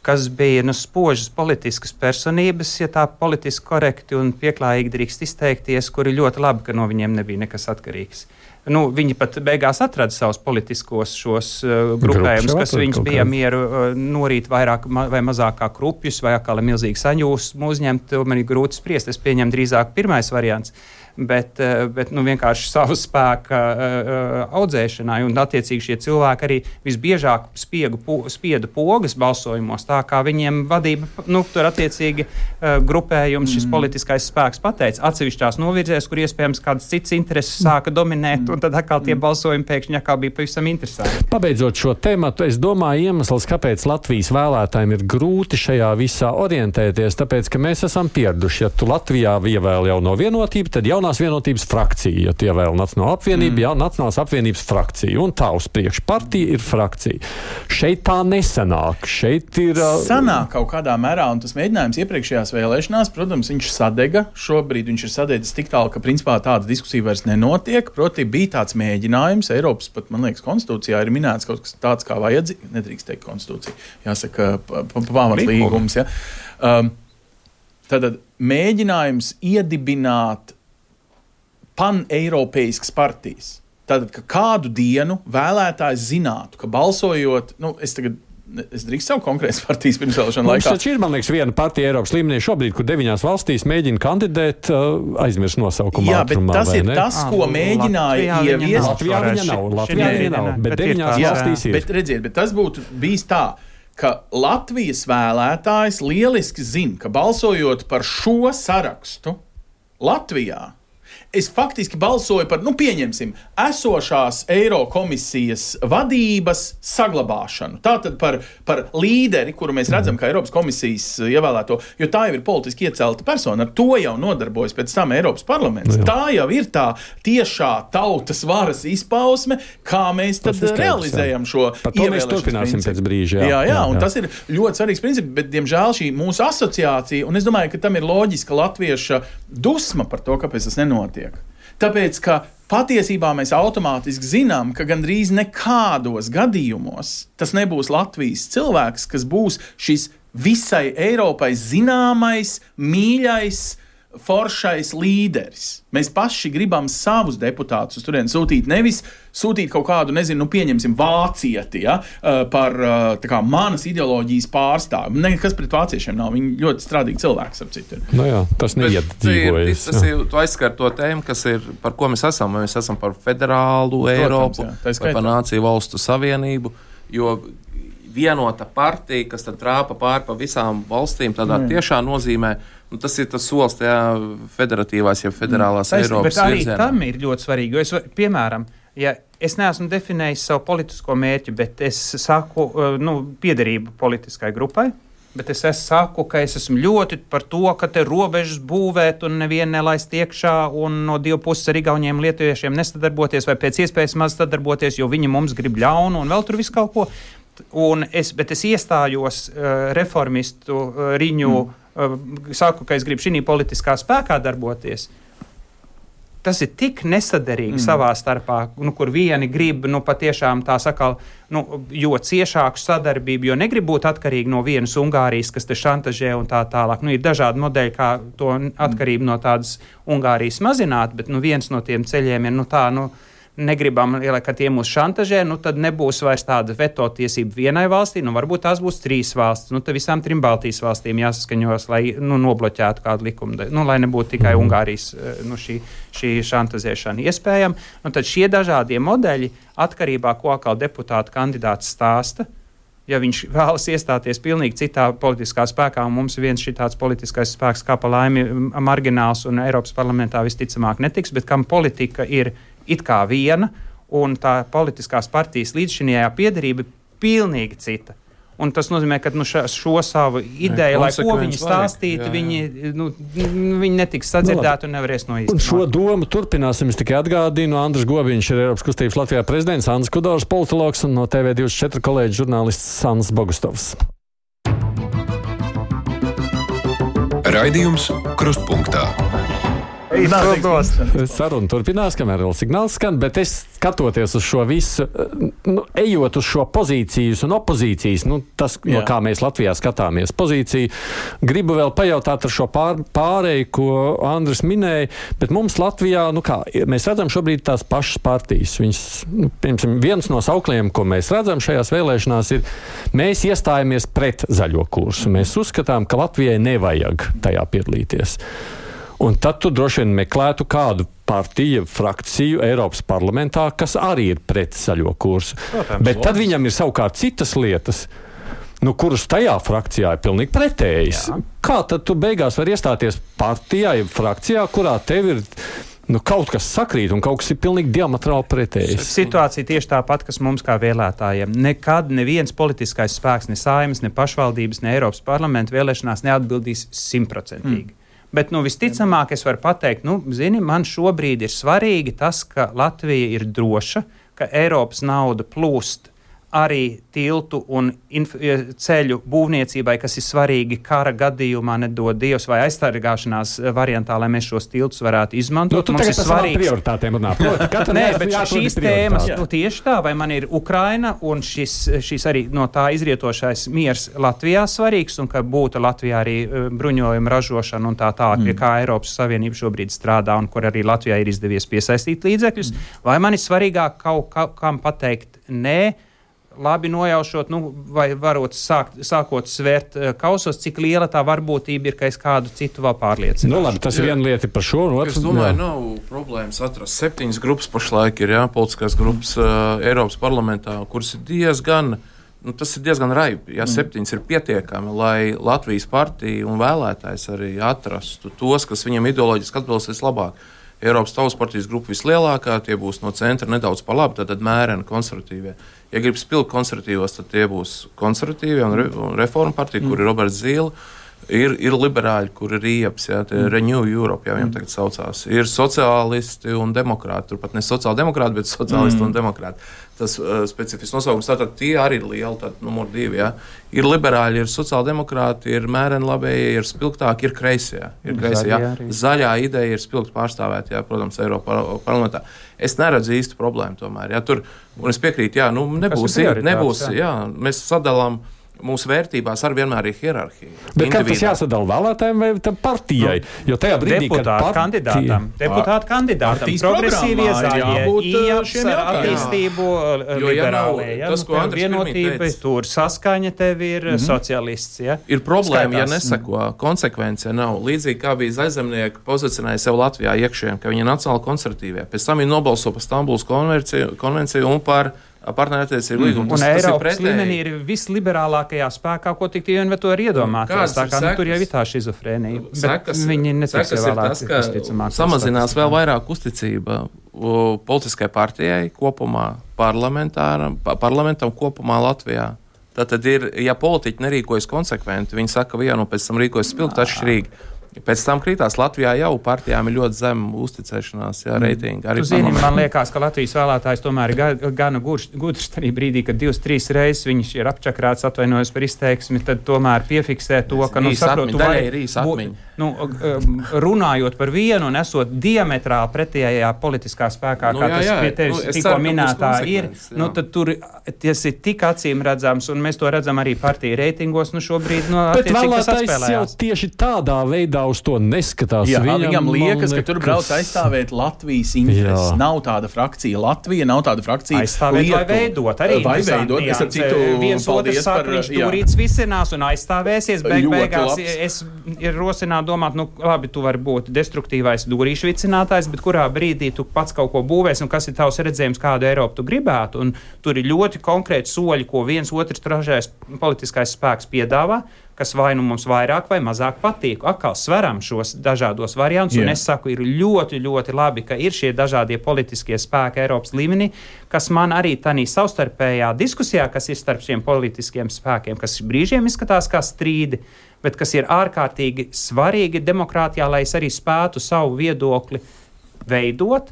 kas bija nu, spožas politiskas personības, ja tā politiski korekti un pieklājīgi drīkst izteikties, kuri ļoti labi, ka no viņiem nebija nekas atkarīgs. Nu, viņi pat beigās atrada savus politiskos šos uh, grupējumus, kas viņus bija mieru uh, norīt vairāk ma vai mazākā krupjus vai atkal milzīgi saņūsmu uzņemt, man ir grūti spriest, es pieņemu drīzāk pirmais variants. Bet, bet nu, vienkārši savu spēku uh, audzēšanai, un attiecīgi šie cilvēki arī visbiežāk spiegu, po, spiedu pogas balsojumos, tā kā viņiem vadība, nu, tur attiecīgi uh, grupējums, šis mm. politiskais spēks pateica atsevišķās novirzēs, kur iespējams kādas citas intereses sāka dominēt, mm. un tad atkal tie balsojumi pēkšņi atkal bija pavisam interesanti. Pabeidzot šo tematu, es domāju, iemesls, kāpēc Latvijas vēlētājiem ir grūti šajā visā orientēties, tāpēc, ka mēs esam pieraduši, ja tu Latvijā ievēl jau no vienotība, tad jaunā vienotības frakcija, ja tie vēl Nacionāla apvienība, mm. jā, Nacionālās apvienības frakcija, un tā uz priekšu partija ir frakcija. Šeit tā nesanāk, šeit ir... Uh... Sanāk kaut kādā mērā, un tas mēģinājums iepriekšējās vēlēšanās, protams, viņš sadega, šobrīd viņš ir sadedzis tik tālu, ka principā tāda diskusija vairs nenotiek, proti bija tāds mēģinājums, Eiropas pat, man liekas, konstitūcijā ir minēts kaut kas tāds kā vajadzīgi, nedrīkst teikt konstitūcija, jāsaka, pamatlīgums, ja. Um, Tātad mēģinājums iedibināt pan-eiropeiskas partijas. Tātad, ka kādu dienu vēlētājs zinātu, ka balsojot, nu, es tagad, es drīkst savu konkrētas partijas pirmsvēlēšanu laikā. Mums taču ir, man liekas, viena partija Eiropas līmenī šobrīd, kur deviņās valstīs mēģina kandidēt, uh, aizmirst nosaukumu Jā, ātrumā, bet tas ir ne? tas, ko mēģināja ieviest. Latvijā viņa nav, Latvijā viņa nav, bet deviņās valstīs ir. Bet redziet, bet tas būtu bijis tā, ka Latvijas vēlētājs lieliski zina, ka balsojot par šo sarakstu Latvijā, es faktiski balsoju par, nu, pieņemsim, esošās Eirokomisijas vadības saglabāšanu. Tātad par, par līderi, kuru mēs redzam, kā Eiropas komisijas ievēlēto, jo tā jau ir politiski iecelta persona, ar to jau nodarbojas pēc tam Eiropas parlaments. Jā. Tā jau ir tā tiešā tautas varas izpausme, kā mēs tad skaidrs, realizējam jā. Šo ievēlēšanas mēs turpināsim pēc brīža. Jā, jā, jā, jā, un jā. Tas ir ļoti svarīgs princips, bet, diemžēl, šī mūsu asociācija, un es domāju, ka tam ir loģiska latvieša dusma par to, kāpēc tas nenotiek. Tāpēc, ka patiesībā mēs automātiski zinām, ka gandrīz nekādos gadījumos tas nebūs Latvijas cilvēks, kas būs šis visai Eiropai zināmais, mīļais, foršais līderis. Mēs paši gribam savus deputātus uz turieni sūtīt, nevis sūtīt kaut kādu, nezinu, nu pieņemsim vācieti, ja, par tā kā manas ideoloģijas pārstāvi. Nekas pret vāciešiem nav, viņi ļoti strādīgi cilvēki, ap citu. Nu jā, tas neiet dzīvojas. Tas ir, tu aizskar to tēmu, kas ir, par ko mēs esam. Mēs esam par federālu Eiropu, Protams, vai par nāciju valstu savienību, jo vienota partija, kas tad trāpa pāri pa visām valstīm, tādā mm. tiešā nozīmē, nu, tas ir tas solis tajā federatīvās, ja federālās mm. Eiropas bet arī virzienā. Tam ir ļoti svarīgi, jo es, piemēram, ja es neesmu definējis savu politisko mērķi, bet es saku, nu, piederību politiskai grupai, bet es, es saku, ka es esmu ļoti par to, ka te robežas būvēt un nevienu nelaist iekšā un no divu puses ar igauniem lietuviešiem nesadarboties vai pēc iespējas maz sadarboties, jo viņi mums grib ļaunu un vēl tur visu kaut ko. Un es, bet es iestājos uh, reformistu uh, riņu, mm. uh, saku, ka es gribu šī politiskā spēkā darboties. Tas ir tik nesaderīgi mm. savā starpā, nu, kur vieni grib nu, patiešām tā sakā, nu, jo ciešāku sadarbību, jo negrib būt atkarīgi no vienas Ungārijas, kas te šantažē un tā tālāk. Nu, ir dažādi modeļi, kā to atkarību no tādas Ungārijas mazināt, bet nu, viens no tiem ceļiem ir nu, tā, nu, negribam, ka tie mūs šantažē, nu tad nebūs vairs tāda veto tiesība vienai valstī, nu varbūt tās būs trīs valstis, nu tad visām trim Baltijas valstīm jāsaskaņos, lai nu, nobloķētu kādu likumu, nu lai nebūtu tikai Ungārijas nu, šī, šī šantažēšana iespējama. Nu tad šie dažādie modeļi atkarībā, ko atkal deputāta kandidāts stāsta, ja viņš vēlas iestāties pilnīgi citā politiskā spēkā, un mums viens šitāds politiskais spēks kā pa laimi margināls un Eiropas parlamentā visticamāk netiks, bet kam politika ir it kā viena, un tā politiskās partijas līdzšinējā piederība pilnīgi cita. Un tas nozīmē, ka nu, ša, šo savu ideju, lai ko viņi stāstītu, viņi, nu, viņi netiks sadzirdēti un nevarēs noīstenot. Un šo domu turpināsim. Es tikai atgādinu, Andris Gobiņš ir Eiropas kustības Latvijā prezidents, Andris Kudors, politologs, un no T V divdesmit četri kolēģis žurnālists Sandis Bogustovs. Raidījums Krustpunktā. Saruna turpinās, kamēr vēl signāls skan, bet es skatoties uz šo visu, nu, ejot uz šo pozīcijas un opozīcijas, nu, tas, Jā. no kā mēs Latvijā skatāmies pozīciju, gribu vēl pajautāt ar šo pār, pārēju, ko Andris minēja, bet mums Latvijā, nu kā, mēs redzam šobrīd tās pašas partijas. Viņas, nu, piemēram, viens no saukliem, ko mēs redzam šajās vēlēšanās, ir, mēs iestājamies pret zaļo kursu. Mēs uzskatām, ka Latvijai nevajag tajā piedalīties. Un tad tu droši vien meklētu kādu partiju, frakciju Eiropas parlamentā, kas arī ir pret zaļo kursu. Protams, Bet tad viņam ir savukārt citas lietas, nu, kuras tajā frakcijā ir pilnīgi pretējas. Jā. Kā tad tu beigās vari iestāties partijā, frakcijā, kurā tev ir nu, kaut kas sakrīt un kaut kas ir pilnīgi diametrāli pretējs? Situācija tieši tāpat, kas mums kā vēlētājiem. Nekad neviens politiskais spēks, ne Saeimas, ne pašvaldības, ne Eiropas parlamenta vēlēšanās neatbildīs simtprocentīgi. Mm. Bet, nu, visticamāk, es varu pateikt, nu, zini, man šobrīd ir svarīgi tas, ka Latvija ir droša, ka Eiropas nauda plūst arī tiltu un inf- ceļu būvniecībai, kas ir svarīgi kara gadījumā, nedod Dievs, vai aizstargāšanās variantā, lai mēs šos tiltus varētu izmantot. Nu, tu mums tagad ir svarīgs prioritātēm runā. Nē, bet šīs tēmas, nu, tieši tā, vai man ir Ukraina un šis, šis arī no tā izrietošais miers Latvijā svarīgs, un ka būtu Latvijā arī bruņojuma ražošana un tā tā, mm. kā Eiropas Savienība šobrīd strādā un kur arī Latvijā ir izdevies piesaistīt līdzekļus, mm. vai man ir svarīgāk kaut kā, kam pateikt nē, labi nojaušot, nu, vai varot sākt, sākot svērt uh, kausos, cik liela tā varbūtība ir, ka es kādu citu vēl pārliecināšu. Nu, labi, tas ir viena lieta par šo. Es otrs, domāju, jā. nav problēmas atrast. Septiņas grupas pašlaik ir, jā, politiskās grupas uh, Eiropas parlamentā, kuras ir diezgan, nu, tas ir diezgan raibi. Jā, mm. septiņas ir pietiekami, lai Latvijas partija un vēlētājs arī atrastu tos, kas viņam ideoloģiski atbilstīs labāk. Eiropas Tautas partijas grupa vislielākā, tie būs no centra nedaudz pa labi, tad mēreni konservatīvie. Ja grib spilgt konservatīvos, tad tie būs konservatīvie un, re, un reforma partija, mm. kur ir Roberts Zīle. Ir, ir liberāļi, kur ir Rieps, jā, mm. Renew Europe, jā, viņam tagad saucās. Ir sociālisti un demokrāti, turpat ne sociāldemokrāti, bet sociālisti mm. un demokrāti. Tas uh, specifisks nosaukums, tātad tie arī ir lieli, tad numur divi, jā. Ir liberāļi, ir sociāldemokrāti, ir mēreni labējie, ir spilgtāki, ir kreisie, jā. Ir kreisie, jā. Zaļā ideja ir spilgt pārstāvēt, jā, protams, Eiropa parlamentā. Es neredzu īstu problēmu tomēr, jā, tur, un es piekrītu, jā, nu, nebūs, nebūs, jā, mēs sadalām mūsu vērtībās arī vienmēr ir hierarhija. Bet kā tas jāsadala vēlētājiem vai tam partijai? Jo tajā brīdī, kad deputātu partija... kandidātam, deputātu kandidātam, progresīvie zaļie, iejaps ar attīstību, liberālie, ja, tas, ko Andris vienotība, tur saskaņa tev ir mm-hmm. socialists, ja. Ir problēma, Skaitās. ja neseko, konsekvence nav. Līdzīgi kā bija Zaļzemnieki pozicionēja sev Latvijā iekšējiem, ka viņi ir nacionāli konservatīvie. Pēc tam viņi nobalso par Stambulas konvenciju, konvenciju un par partnerattiecību līgumu. Un Eiropas līmenī ir visliberālākajā spēkā, ko tik tie to ir iedomāties. Tā kā nu, tur jau ir tā šizofrēnija. Sekas, viņi netiks ievēlēti, kas samazinās vēl vairāk uzticība politiskai partijai kopumā, parlamentam kopumā Latvijā. Tātad ir, ja politiķi nerīkojas konsekventi, viņi saka vienu, pēc tam rīkojas spilgt atšķirīgi. Pēc tam krītās Latvijā jau partijām ir ļoti zema uzticēšanās, jā, reitingi. Arī tu zini, man liekas, ka Latvijas vēlētājs tomēr ir gana gudrs arī brīdī, kad divas, trīs reizes viņš ir apčakrāts, atvainojos par izteiksmi, tad tomēr piefiksē to, ka, nu, saprotu, vai, nu, runājot par vienu un esot diametrāli pretējā politiskā spēkā, nu, kā jā, tas jā, pie tevis nu, tikko minētā ir, jā. nu, tad tur tas ir tik acīm redzams, un mēs to redzam arī partiju reitingos, nu, šobrīd, nu, bet vēlētājs jau tieši tādā veidā uz to neskatās. Jā, viņam, viņam liekas, liekas, ka tur brauc aizstāvēt Latvijas intereses. Jā. Nav tāda frakcija Latvija, nav tāda frakcija aizstāvēt Lietuva. Vai veidot. Arī vai veidot. Es ar citu viens otrs saka, par, viņš turīts visinās un aizstāvēsies. Beig, Ļoti beigās labs. es ir rosinātu domāt, nu labi, tu vari būt destruktīvais dūrīšu vicinātājs, bet kurā brīdī tu pats kaut ko būvēs un kas ir tavs redzējums, kādu Eiropu tu gribētu. Un tur ir ļoti konkrēti soļi, ko viens otrs tražais politiskais spēks piedāvā, kas vai nu mums vairāk vai mazāk patīk. Atkal sveram šos dažādos variantus, yeah. un es saku, ir ļoti, ļoti labi, ka ir šie dažādie politiskie spēki Eiropas līmenī, kas man arī tādā savstarpējā diskusijā, kas ir starp šiem politiskiem spēkiem, kas brīžiem izskatās kā strīdi, bet kas ir ārkārtīgi svarīgi demokrātijā, lai es arī spētu savu viedokli veidot,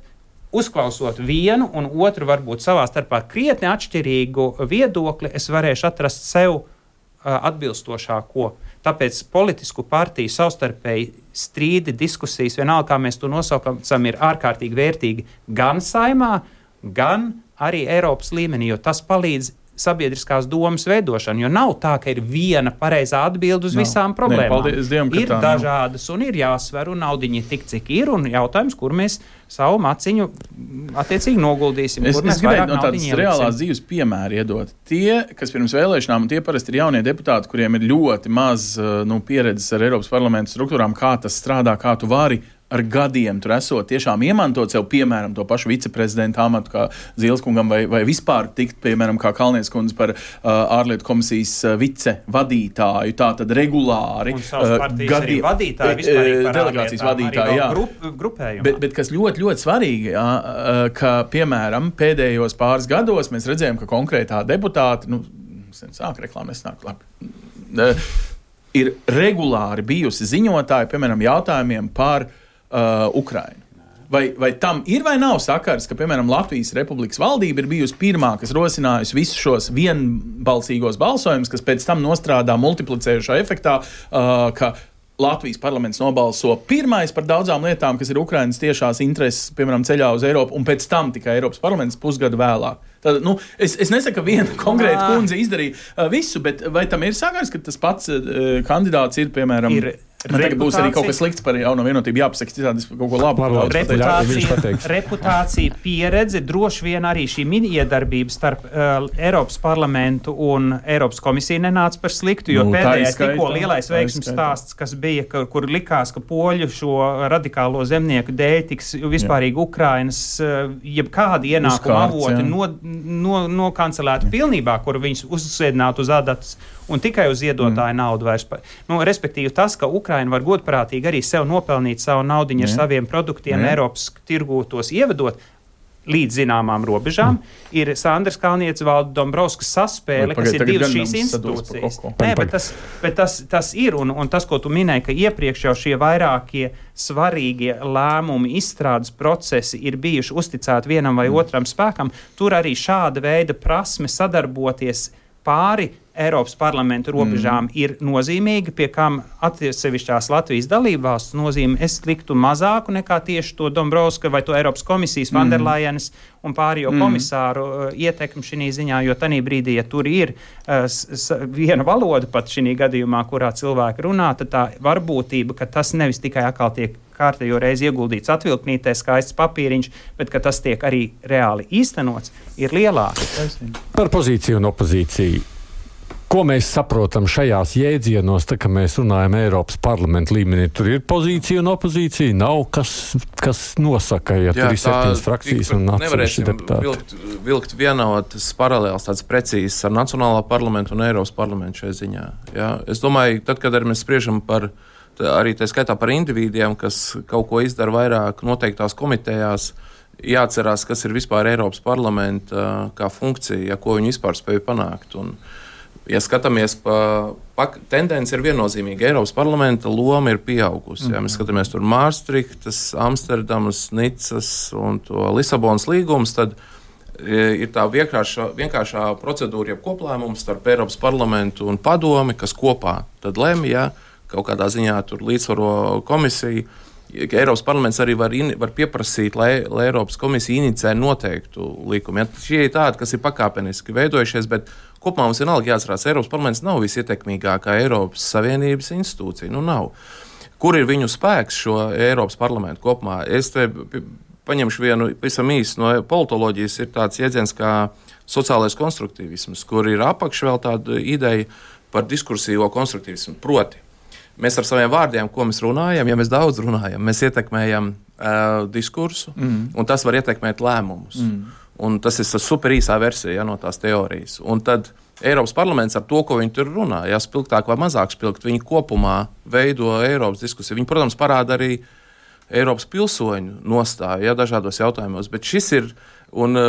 uzklausot vienu un otru varbūt savā starpā krietni atšķirīgu viedokli, es varēšu atrast sev atbilstošāko. Tāpēc politisku partiju savstarpēji strīdi, diskusijas, vienalga, kā mēs to nosaukam, ir ārkārtīgi vērtīgi gan Saimā, gan arī Eiropas līmenī, jo tas palīdz sabiedriskās domas veidošanu, jo nav tā, ka ir viena pareizā atbilde uz nav. Visām problēmām. Ne, paldies Dievam, ir tā, dažādas un ir jāsver un naudiņi tik, cik ir, un jautājums, kur mēs savu maciņu attiecīgi noguldīsim. Es, kur es gribētu no tādas reālās dzīves piemēri iedot. Tie, kas pirms vēlēšanām, un tie parasti ir jaunie deputāti, kuriem ir ļoti maz nu, pieredzes ar Eiropas parlamentu struktūrām, kā tas strādā, kā tu vari ar gadiem tur esot tiešām iemantot sev, piemēram, to pašu viceprezidenta amatu kā Zīleskungam vai, vai vispār tikt, piemēram, kā Kalnies kundze par uh, ārlietu komisijas uh, vicevadītāju, tā tad regulāri. Un savas partijas uh, arī vadītāji, vispārīgi par delegācijas vadītāji, jā. Grup, grupējumā. Bet, bet kas ļoti, ļoti svarīgi, jā, uh, ka, piemēram, pēdējos pāris gados mēs redzējām, ka konkrētā deputāta, nu, sāk reklāma, nesnāk labi, uh, ir regulāri bijusi ziņotāji, piemēram, jautājumiem par Uh, Ukrainu. Vai, vai tam ir vai nav sakars, ka, piemēram, Latvijas Republikas valdība ir bijusi pirmā, kas rosinājusi visus šos vienbalsīgos balsojumus, kas pēc tam nostrādā multiplicējušā efektā, uh, ka Latvijas parlaments nobalso pirmais par daudzām lietām, kas ir Ukrainas tiešās intereses, piemēram, ceļā uz Eiropu, un pēc tam tikai Eiropas parlaments pusgadu vēlāk. Tad, nu, es, es nesaku, ka viena konkrēta kundze izdarīja uh, visu, bet vai tam ir sakars, ka tas pats uh, kandidāts ir, piemēram, ir man tagad būs arī kaut kas slikts par jauno vienotību jāpasaka, citādi es kaut ko labu. Reputācija, reputācija, pieredze, droši vien arī šī mini-iedarbība starp uh, Eiropas parlamentu un Eiropas komisiju nenāca par sliktu, jo nu, pēdējais tikko lielais veiksmes stāsts, kas bija, ka, kur likās, ka poļu šo radikālo zemnieku dēļ tiks vispārīgi Ukrainas uh, jebkādi ienākuma avoti no, no, nokancelēti pilnībā, kur viņus uzsēdinātu uz adatas un tikai uz iedotāju mm. naudu vairs. Nu, respektīvi tas, ka Ukraina var godprātīgi arī sev nopelnīt savu naudiņu ar saviem produktiem, Jā. Eiropas tirgū tos ievedot līdz zināmām robežām, mm. ir Sandrs Kalnietis, Valda Dombrovskis saspēle, Vai, kas ir divas šīs institūcijas. Nē, bet, tas, bet tas, tas ir, un, un tas, ko tu minēji, ka iepriekš jau šie vairākie svarīgie lēmumi, izstrādes procesi ir bijuši uzticēti vienam vai mm. otram spēkam, tur arī šāda veida prasme sadarboties pāri Eiropas parlamenta robežām mm. ir nozīmīga, pie kam atsevišķās Latvijas dalībvalsts nozīme es liktu mazāku nekā tieši to Dombrovska vai to Eiropas komisijas mm. Vanderlajenes un pārējo mm. komisāru uh, ietekmi šī ziņā, jo tanī brīdī, ja tur ir uh, s, viena valoda pat šī gadījumā, kurā cilvēki runā, tad tā varbūtība, ka tas nevis tikai atkal tiek kārtējo reizi ieguldīts atvilknītē, skaists papīriņš, bet ka tas tiek arī reāli īstenots, ir lielāka. Par pozīciju un opozīciju. Ko mēs saprotam šajās jēdzienos, tā kā mēs runājam Eiropas parlamenta līmenī? Tur ir pozīcija un opozīcija, nav kas, kas nosaka, ja Jā, tur ir septiņas frakcijas un atsevišķi deputāti. Vilkt, vilkt vienotas paralēlas tāds precīzs ar Nacionālā parlamentu un Eiropas parlamentu šai ziņā. Jā, es domāju, tad, kad mēs spriežam par, arī tā skaitā par individiem, kas kaut ko izdara vairāk noteiktās komitejās, jāatcerās, kas ir vispār Eiropas parlamenta kā funkcija, ko viņi vispār spēja panākt. Un, ja skatāmies, pa, pa, tendence ir viennozīmīga. Eiropas parlamenta loma ir pieaugusi. Ja mēs skatāmies tur Maastrichtas, Amsterdamas, Nicas un to Lisabonas līgumus, tad ir tā vienkāršā, vienkāršā procedūra, jeb koplēmums starp Eiropas parlamentu un padomi, kas kopā tad lemj, ja kaut kādā ziņā tur līdzsvaro komisiju. Eiropas parlaments arī var, in, var pieprasīt, lai, lai Eiropas komisija inicē noteiktu likumu. Ja, šie ir tādi, kas ir pakāpeniski veidojušies, bet kopumā mums vienalga jāatcerās, Eiropas parlaments nav visietekmīgākā Eiropas Savienības institūcija. Nu, nav. Kur ir viņu spēks šo Eiropas parlamentu kopumā? Es te paņemšu vienu pavisam īsi no politoloģijas, ir tāds jēdziens kā sociālais konstruktīvisms, kur ir apakš vēl tāda ideja par diskursīvo konstruktīvismu. Proti, mēs ar saviem vārdiem, ko mēs runājam, ja mēs daudz runājam, mēs ietekmējam uh, diskursu, mm. un tas var ietekmēt lēmumus. Mm. Un tas ir super īsā versija ja, no tās teorijas. Un tad Eiropas parlaments ar to, ko viņi tur runā, ja spilgtāk vai mazāk spilgt, viņi kopumā veido Eiropas diskusiju. Viņi, protams, parāda arī Eiropas pilsoņu nostāju ja, dažādos jautājumos, bet šis ir, un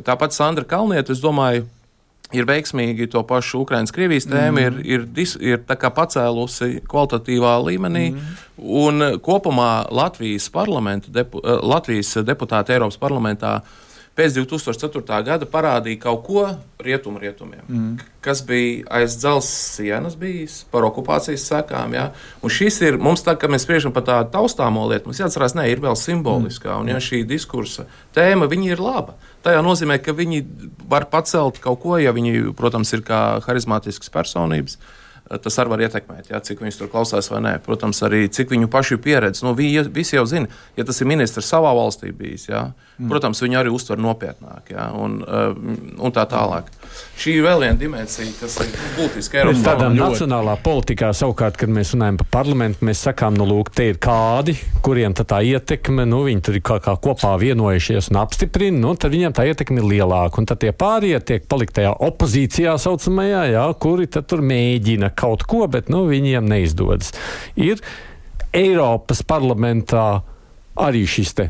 tāpat Sandra Kalniete, es domāju, ir veiksmīgi to pašu Ukrainas-Krievijas tēmu, mm. ir, ir, dis, ir tā kā pacēlusi kvalitatīvā līmenī, mm. un kopumā Latvijas parlamenta, depu, Latvijas deputāti Eiropas parlamentā pēc divi tūkstoši ceturtā gada parādīja kaut ko rietumu rietumiem, mm. kas bija aiz dzelzs sienas bijis, par okupācijas sekām, ja? Un šis ir, mums tā, kad mēs spriežam par tādu taustāmo lietu, mums jāatcerās, ne, ir vēl simboliskā, un ja šī diskursa tēma, viņi ir laba. Tajā nozīmē, ka viņi var pacelt kaut ko, ja viņi, protams, ir kā harizmātiskas personības, tas arī var ietekmēt, ja, cik viņus tur klausās vai nē. Protams, arī cik viņu pašu pieredze. Nu, vi, visi jau zina, ja tas ir ministrs savā valstī bijis, ja, mm. protams, viņu arī uztver nopietnāk, ja, un, un tā tālāk. Šī ir vēl viena dimensija, kas ir būtiska Eiropas parlamentā. Nacionālā politikā savukārt, kad mēs runājam par parlamentu, mēs sakām, nu lūk, te ir kādi, kuriem tā, tā ietekme, nu viņi tur ir kā, kā kopā vienojušies un apstiprina, nu tad viņiem tā ietekme ir lielāka. Un tad tie pārējie tiek palikt tajā opozīcijā saucamajā, jā, kuri tad tur mēģina kaut ko, bet nu viņiem neizdodas. Ir Eiropas parlamentā arī šis te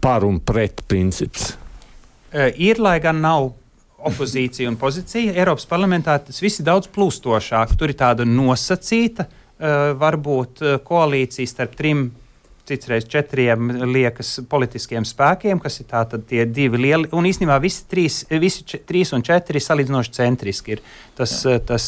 par un pret princips. Ir, lai gan nav opozīcija un pozīcija, Eiropas parlamentā tas viss ir daudz plūstošāk. Tur ir tāda nosacīta, varbūt koalīcija starp trim, citreiz četriem liekas politiskiem spēkiem, kas ir tātad tie divi lieli, un īstenībā visi trīs, visi č, trīs un četri salīdzinoši centriski ir. Tas, tas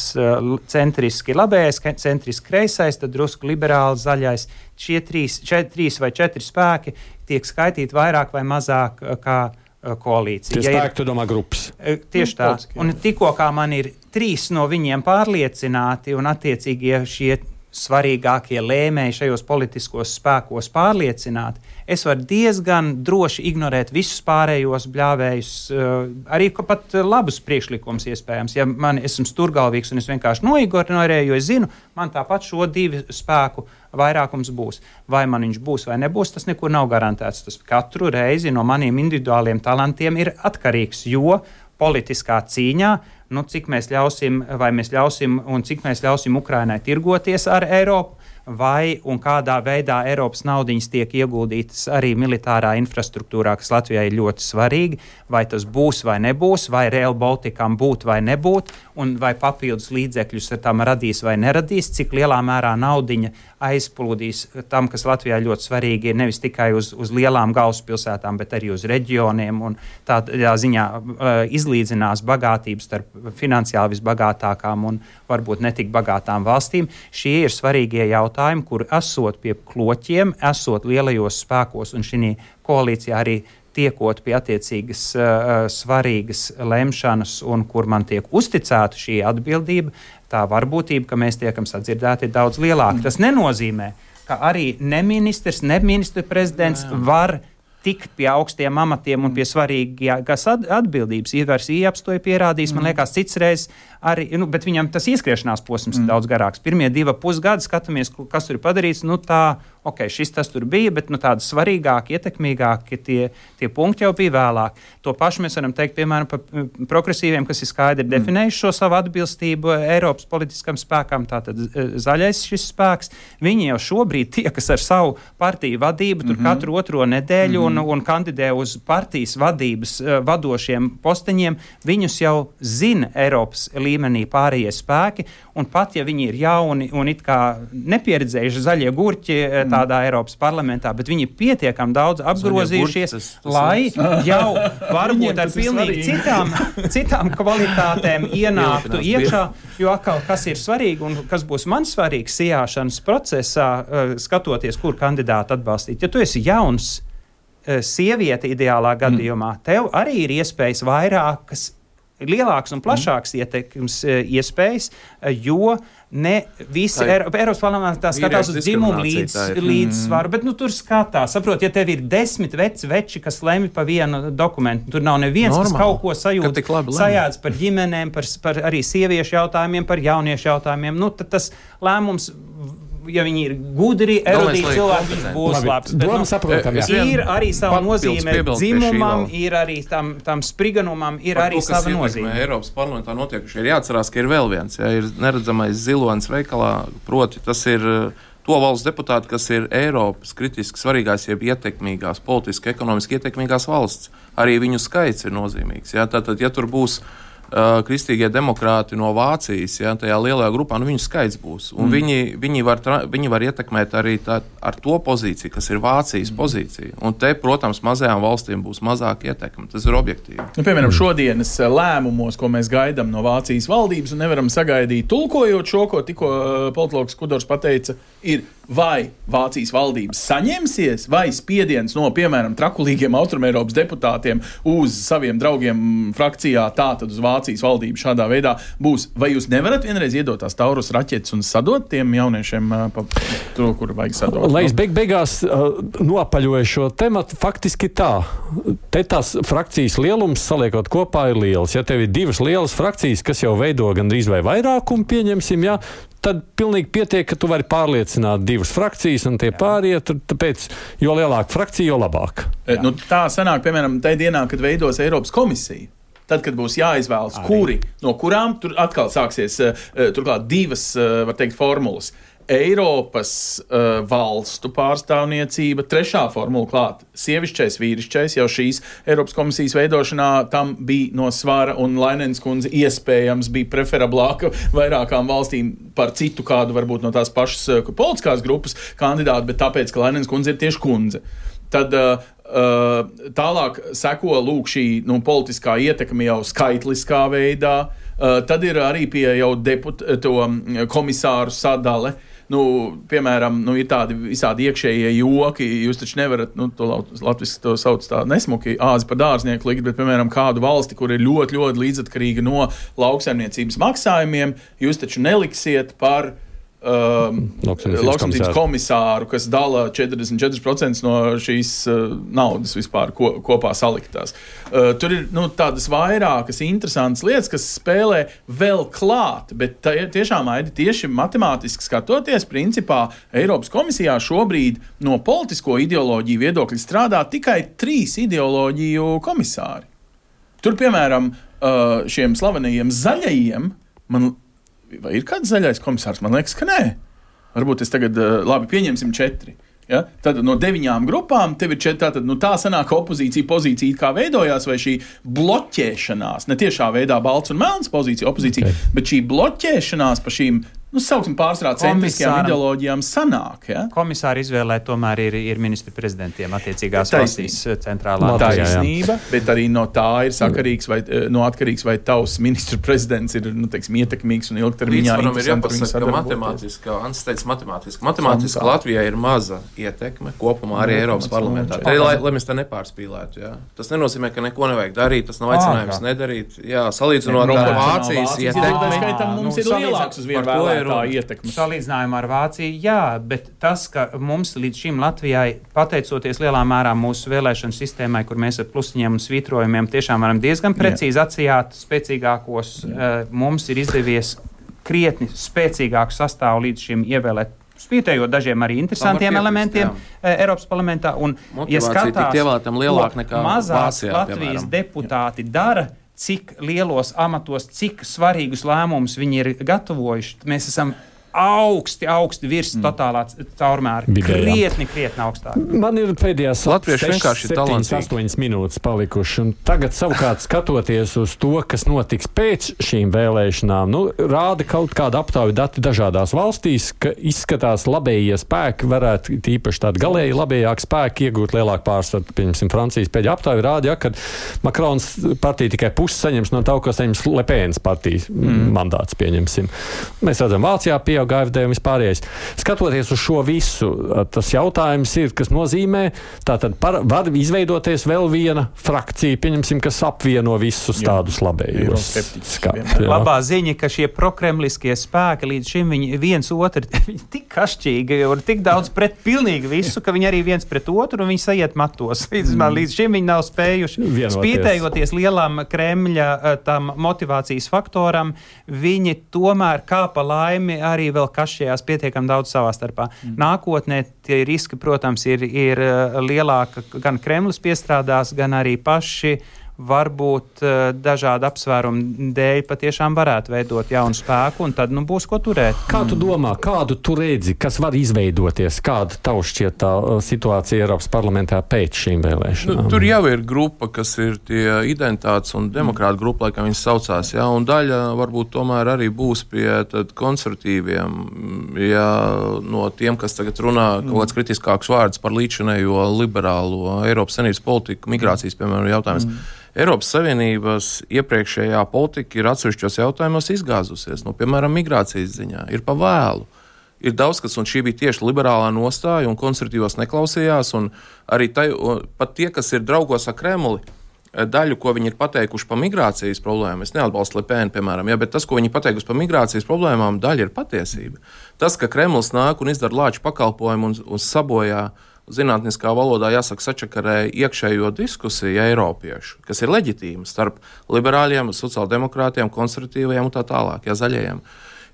centriski labējais, centriski kreisais, tad drusku liberāli zaļais. Šie trīs, čet, trīs vai četri spēki tiek skaitīti vairāk vai mazāk kā koalīcija. Tie spēki, tu domā, grupas. Tieši tā. Un tikko kā man ir trīs no viņiem pārliecināti un attiecīgie šie svarīgākie lēmēji šajos politiskos spēkos pārliecināti, es varu diezgan droši ignorēt visus pārējos bļāvējus, arī pat labus priekšlikums iespējams. Ja man esmu sturgalvīgs un es vienkārši noignorēju, jo es zinu, man tāpat šo divu spēku vairākums būs. Vai man viņš būs vai nebūs, tas nekur nav garantēts. Tas katru reizi no maniem individuāliem talantiem ir atkarīgs, jo politiskā cīņā, nu, cik mēs ļausim, vai mēs ļausim un cik mēs ļausim Ukrainai tirgoties ar Eiropu, vai un kādā veidā Eiropas naudiņas tiek ieguldītas arī militārā infrastruktūrā, kas Latvijai ir ļoti svarīgi, vai tas būs vai nebūs, vai Rail Balticam būt vai nebūt, un vai papildus līdzekļus tam radīs vai neradīs, cik lielā mērā naudiņa aizplūdīs tam, kas Latvijā ļoti svarīgi ir nevis tikai uz, uz lielām galvaspilsētām, bet arī uz reģioniem, un tādā ziņā uh, izlīdzinās bagātības starp finansiāli visbagātākām un varbūt netik bagātām valstīm. Šie ir svarīgie jautājumi, kur esot pie kloķiem, esot lielajos spēkos un šī koalīcijā arī tiekot pie attiecīgas uh, svarīgas lemšanas un kur man tiek uzticēta šī atbildība, tā varbūtība, ka mēs tiekam sadzirdēti, ir daudz lielāka. Tas nenozīmē, ka arī ne ministrs, ne ministra prezidents jā, jā. var tikt pie augstiem amatiem un pie svarīgākās atbildības. Ivars Ieps to ir pierādījis, man liekas, cits reiz arī, nu, bet viņam tas ieskriešanās posms mm. ir daudz garāks. Pirmie divi pusgadi skatāmies, kas tur ir padarīts, nu tā, ok, šis tas tur bija, bet nu tādi svarīgāki, ietekmīgāki tie, tie punkti jau bija vēlāk. To pašu mēs varam teikt, piemēram, par progresīviem, kas ir skaidri mm. definējuši šo savu atbilstību Eiropas politiskam spēkam, tātad zaļais šis spēks. Viņi jau šobrīd tie, kas ar savu partiju vadību tur mm-hmm. katru otro nedēļu mm-hmm. un, un kandidē uz partijas vadības uh, vadošiem posteņiem, viņus jau zina Eiropas līmenī pārējie spēki, un pat ja viņi ir jauni un it kā nepieredzējuši zaļie gurķi mm. tādā Eiropas parlamentā, bet viņi pietiekami daudz apgrozījušies, tas, tas lai ir. jau varbūt ar pilnīgi citām, citām kvalitātēm ienāktu iekšā, jo atkal, kas ir svarīgi un kas būs man svarīgs sijāšanas procesā, skatoties, kur kandidātu atbalstīt. Ja tu esi jauns sieviete ideālā gadījumā, tev arī ir iespējas vairākas lielāks un plašāks mm. ietekmes iespējas, jo ne visi Eiro, Eiropas parlamentā skatās uz dzimumu līdz, līdzsvaru, bet nu tur skatās. Saprot, ja tev ir desmit veci veči, kas lemj pa vienu dokumentu, tur nav neviens, Normāli. kas kaut ko sajūt, sajāds par ģimenēm, par, par arī sieviešu jautājumiem, par jauniešu jautājumiem, nu tad tas lēmums, ja viņi ir gudri, erudīti cilvēki, viņš būs Labi, labs. Bet, nu, saprotam, ir arī sava nozīme dzimumam, ir arī tam, tam spriganumam, ir Par arī to, sava nozīme. Eiropas parlamentā notiekuši ir jāatcerās, ka ir vēl viens, ja ir neredzamais zilonis veikalā, proti tas ir to valsts deputāti, kas ir Eiropas kritiski svarīgās, jeb ietekmīgās, politiski, ekonomiski ietekmīgās valsts. Arī viņu skaits ir nozīmīgs. Ja? Tātad, ja tur būs Uh, kristīgie demokrāti no Vācijas, ja, tajā lielajā grupā, nu viņu skaits būs. Un mm. viņi, viņi, var tra, viņi var ietekmēt arī tā, ar to pozīciju, kas ir Vācijas mm. pozīcija. Un te, protams, mazajām valstīm būs mazāk ietekme. Tas ir objektīvi. Nu, piemēram, šodienas lēmumos, ko mēs gaidām no Vācijas valdības un nevaram sagaidīt, tulkojot šo, ko tikko politologs Kudors pateica, ir vai Vācijas valdības saņemsies, vai spiediens no, piemēram, trakulīgiem Austrumeiropas deputātiem uz saviem draugiem frakcijā, tātad uz Vācijas valdību šādā veidā būs. Vai jūs nevarat vienreiz iedot tās Taurus raķetes un sadot tiem jauniešiem pa to, kur vajag sadot? Lai es beig beigās uh, noapaļoju šo tematu, faktiski tā. Te tās frakcijas lielums saliekot kopā ir liels. Ja tev ir divas lielas frakcijas, kas jau veido gandrīz vai vairākumu, pieņemsim, ja, tad pilnīgi pietiek, ka tu vari pārliecināt divas frakcijas un tie pārējie, tāpēc jo lielāka frakcija, jo labāk. E, nu, tā sanāk, piemēram, tajā dienā, kad veidos Eiropas komisija. Tad, kad būs jāizvēlas, Arī. kuri, no kurām tur atkal sāksies turklāt divas, var teikt, formulas. Eiropas uh, valstu pārstāvniecība, trešā formula klāt, sievišķais, vīrišķais, jau šīs Eiropas komisijas veidošanā tam bija no svara, un Lainens kundze iespējams bija preferablāka vairākām valstīm par citu kādu, varbūt no tās pašas uh, politiskās grupas kandidātu, bet tāpēc, ka Lainens kundze ir tieši kundze. Tad uh, uh, tālāk seko lūk šī nu, politiskā ietekme jau skaitliskā veidā, uh, tad ir arī pie jau deput, to komisāru sadale. Nu, piemēram, nu, ir tādi visādi iekšējie joki, jūs taču nevarat, nu, to latviski to sauc tā nesmuki, āzi par dārznieku likt, bet, piemēram, kādu valsti, kur ir ļoti, ļoti līdzatkarīga no lauksaimniecības maksājumiem, jūs taču neliksiet par um, lauksaimniecības komisāru, kas dala četrdesmit četri procenti no šīs uh, naudas vispār ko, kopā saliktās. Uh, tur ir nu, tādas vairākas interesantas lietas, kas spēlē vēl klāt, bet tā, tiešām, Aidi, tieši matemātiski skatoties, principā Eiropas komisijā šobrīd no politisko ideoloģiju viedokļa strādā tikai trīs ideoloģiju komisāri. Tur, piemēram, uh, šiem slavenajiem zaļajiem, man vai ir kāds zaļais komisārs? Man liekas, ka nē. varbūt es tagad, labi, pieņemsim četri. Ja? Tad no deviņām grupām tev ir četri, tātad nu, tā sanāk opozīcija pozīcija kā veidojās, vai šī bloķēšanās, ne tiešā veidā balts un melns pozīcija, opozīcija, okay. bet šī bloķēšanās pa šīm, nu, sauksim pārsvarā centriskajām ideoloģijām sanāk. Ja? Komisāri izvēlē tomēr ir, ir ministri prezidentiem attiecīgās valstīs centrālā taisnība, bet arī no tā ir sakarīgs vai no atkarīgs, vai tavs ministru prezidents ir, nu, teiksim, ietekmīgs un ilgtermiņā interesanti. Ir jāpasaka, ka matemātiski, Ants teica matemātiski, matemātiski Latvijai ir maza ietekme kopumā arī Eiropas parlamentā. Lai, lai, lai mēs tā nepārspīlētu, jā. Tas nenozīmē, ka neko nevajag darīt, tas nav aicinājums nedarīt. Jā, salīdzinot ar Vācijas ietekmi. Mums ir lielāks uz vienu vēlētāju. Salīdzinājumā ar Vāciju, jā, bet tas, ka mums līdz šim Latvijai, pateicoties lielā mērā mūsu vēlēšanu sistēmai, kur mēs ar plusiņiem un svītrojumiem tiešām varam diezgan precīzi atsijāt spēcīgākos, uh, mums ir izdevies krietni spēcīgāku sastāvu līdz šim ievēlēt, spītējot dažiem arī interesantiem elementiem jā. Eiropas parlamentā. Un, ja skatās, ko mazās Vācijā, Latvijas piemēram. Deputāti dara, cik lielos amatos, cik svarīgus lēmumus viņi ir gatavojuši. Mēs esam augsti, augsti virs mm. totālā caurmēra. Krietni, krietni augstāk. Man ir pēdējās septiņas, astoņas minūtes palikuši. Un tagad savukārt skatoties uz to, kas notiks pēc šīm vēlēšanām, nu, rāda kaut kāda aptauja dati dažādās valstīs, ka izskatās labējie spēki varētu, tīpaši tādi galēji labējāki spēki, iegūt lielāku pārsvaru. Pieņemsim, Francijas pēdējā aptauja rāda, ja, ka Makrons partija tikai pusi saņems no tā, ko saņems Le Penas partijas mm. mandāts, pieņemsim. Mēs redzam, Vācijā pieaug G F D un vispārējais. Skatoties uz šo visu, tas jautājums ir, kas nozīmē, tātad par, var izveidoties vēl viena frakcija, pieņemsim, kas apvieno visus jā. Tādus labējos. Labā ziņa, ka šie prokremliskie spēki līdz šim viņi viens otru tik kašķīgi un tik daudz pret pilnīgi visu, ka viņi arī viens pret otru un viņi sajiet matos. Līdz, mm. līdz šim viņi nav spējuši. Vienoties. Spītējoties lielam Kremļa tam motivācijas faktoram, viņi tomēr kā pa laimi arī vēl kašķējās pietiekam daudz savā starpā. Mm. Nākotnē tie riski, protams, ir, ir lielāka, gan Kremlis piestrādās, gan arī paši varbūt dažādu apsvērumu dēļ patiešām varētu veidot jaunu spēku, un tad nu, būs ko turēt. Kā tu domā, kādu tu redzi, kas var izveidoties, kāda tavu šķiet tā situācija Eiropas parlamentā pēc šīm vēlēšanām? Nu, tur jau ir grupa, kas ir tie identitātes un demokrāta grupa, laikam viņas saucās, jā, un daļa varbūt tomēr arī būs pie tad konservatīviem, jā, no tiem, kas tagad runā kaut kāds kritiskāks vārds par līdzinējo liberālo Eiropas Savienības politiku, migrācijas, piemēram, jautājumus. Mm. Eiropas Savienības iepriekšējā politika ir atsevišķos jautājumos izgāzusies, nu, piemēram, migrācijas ziņā. Ir pa vēlu. Ir daudz kas, un šī bija tieši liberālā nostāja, un konservatīvos neklausījās, un arī tai, un pat tie, kas ir draugos ar Kremli, daļu, ko viņi ir pateikuši par migrācijas problēmu, es neatbalstu Le Pen, piemēram, ja, bet tas, ko viņi pateikuši par migrācijas problēmām, daļa ir patiesība. Tas, ka Kremlis nāk un izdara lāču pakalpojumu un, un sabojā zinātniskā valodā jāsaka sačakarē iekšējo diskusiju eiropiešu, kas ir leģitīma starp liberāļiem, sociāldemokrātiem, konservatīvajiem un tā tālāk, jā, zaļajiem.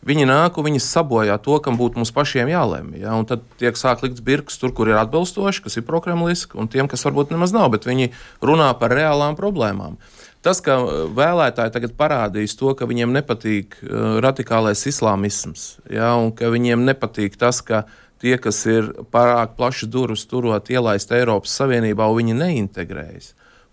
Viņi nāk un viņi sabojā to, kam būtu mums pašiem jālemj. Ja? Un tad tiek sāk likts birks tur, kur ir atbilstoši, kas ir prokremliski, un tiem, kas varbūt nemaz nav, bet viņi runā par reālām problēmām. Tas, ka vēlētāji tagad parādīs to, ka viņiem nepatīk uh, radikālais islāmisms, ja? Un ka viņiem nepatīk tas, ka tie, kas ir pārāk plaši durvis turot ielaist Eiropas Savienībā, un viņi neintegrējas.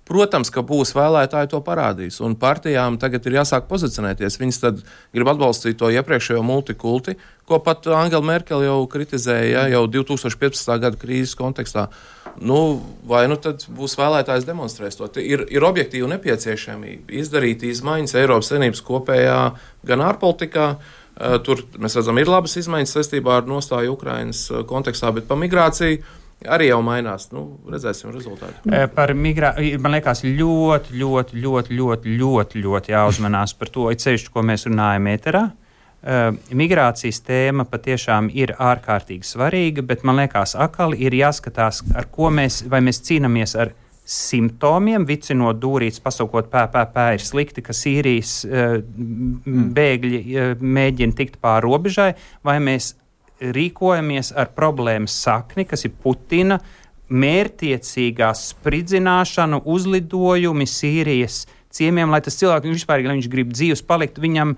Protams, ka būs vēlētāji to parādīs, un partijām tagad ir jāsāk pozicionēties. Viņas tad grib atbalstīt to iepriekšējo multikulti, ko pat Angela Merkel jau kritizēja, ja, jau divi tūkstoši piecpadsmitā gada krīzes kontekstā. Nu, vai nu tad būs vēlētājs demonstrēs to? Ir, ir objektīvi nepieciešamība izdarīt izmaiņas Eiropas Savienības kopējā gan ārpolitikā. Tur mēs redzam, ir labas izmaiņas saistībā ar nostāju Ukrainas kontekstā, bet par migrāciju arī jau mainās. Nu, redzēsim rezultātu. Par migrāciju, man liekas, ļoti, ļoti, ļoti, ļoti, ļoti, ļoti jāuzmanās par to, it sevišķi, ko mēs runājam ēterā. Migrācijas tēma patiešām ir ārkārtīgi svarīga, bet man liekas, akali ir jāskatās, ar ko mēs, vai mēs cīnamies ar simptomiem, vicinot dūrītes, pasaukot pē, pē, pē, ir slikti, ka Sīrijas uh, bēgļi uh, mēģina tikt pār robežai, vai mēs rīkojamies ar problēmas sakni, kas ir Putina mērtiecīgā spridzināšana, uzlidojumi Sīrijas ciemiem, lai tas cilvēks vispār, ja viņš grib dzīves palikt, viņam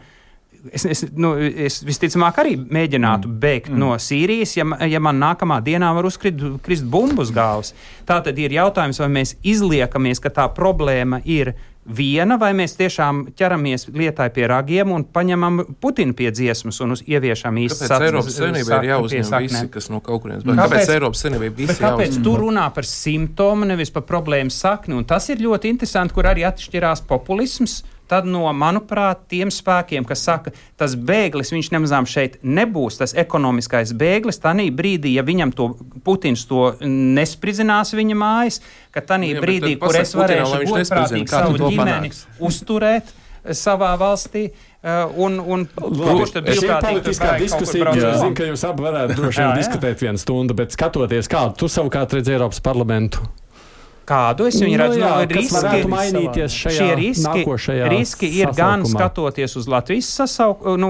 es, es, nu, es visticamāk arī mēģinātu mm. bēgt mm. no Sīrijas, ja, ja man nākamā dienā var uzkrist krist bumbu uz galvas. Tā tad ir jautājums, vai mēs izliekamies, ka tā problēma ir viena, vai mēs tiešām ķeramies lietai pie ragiem un paņemam Putinu pie dziesmas un uz ieviešam īsti Kāpēc Eiropas Savienībai ir jāuzņem visi, kas no kaut kurienes? Kāpēc, kāpēc Eiropas Savienībai visi jāuzņem? Kāpēc tu runā par simptomu, nevis par problēmas sakni? Un tas ir ļoti interesanti, kur arī atšķirās populisms. Tad no, manuprāt, tiem spēkiem, kas saka, tas bēglis, viņš nemazām šeit nebūs, tas ekonomiskais bēglis, tanī brīdī, ja viņam to Putins to nespridzinās viņa mājas, ka tanī ja, brīdī, kur es varēšu godprātīgi savu ģimeni uzturēt savā valstī, uh, un, un kurš tad brīvprātīgi politiskā diskusija, es zinu, ka jūs abi varētu droši vien diskutēt vienu stundu, bet skatoties kādu, tu savukārt redz Eiropas parlamentu. Kādu es viņu redzu, nu, jā, no riski, varētu mainīties šajā riski, nākošajā riski ir gan skatoties uz Latvijas sasauk, nu,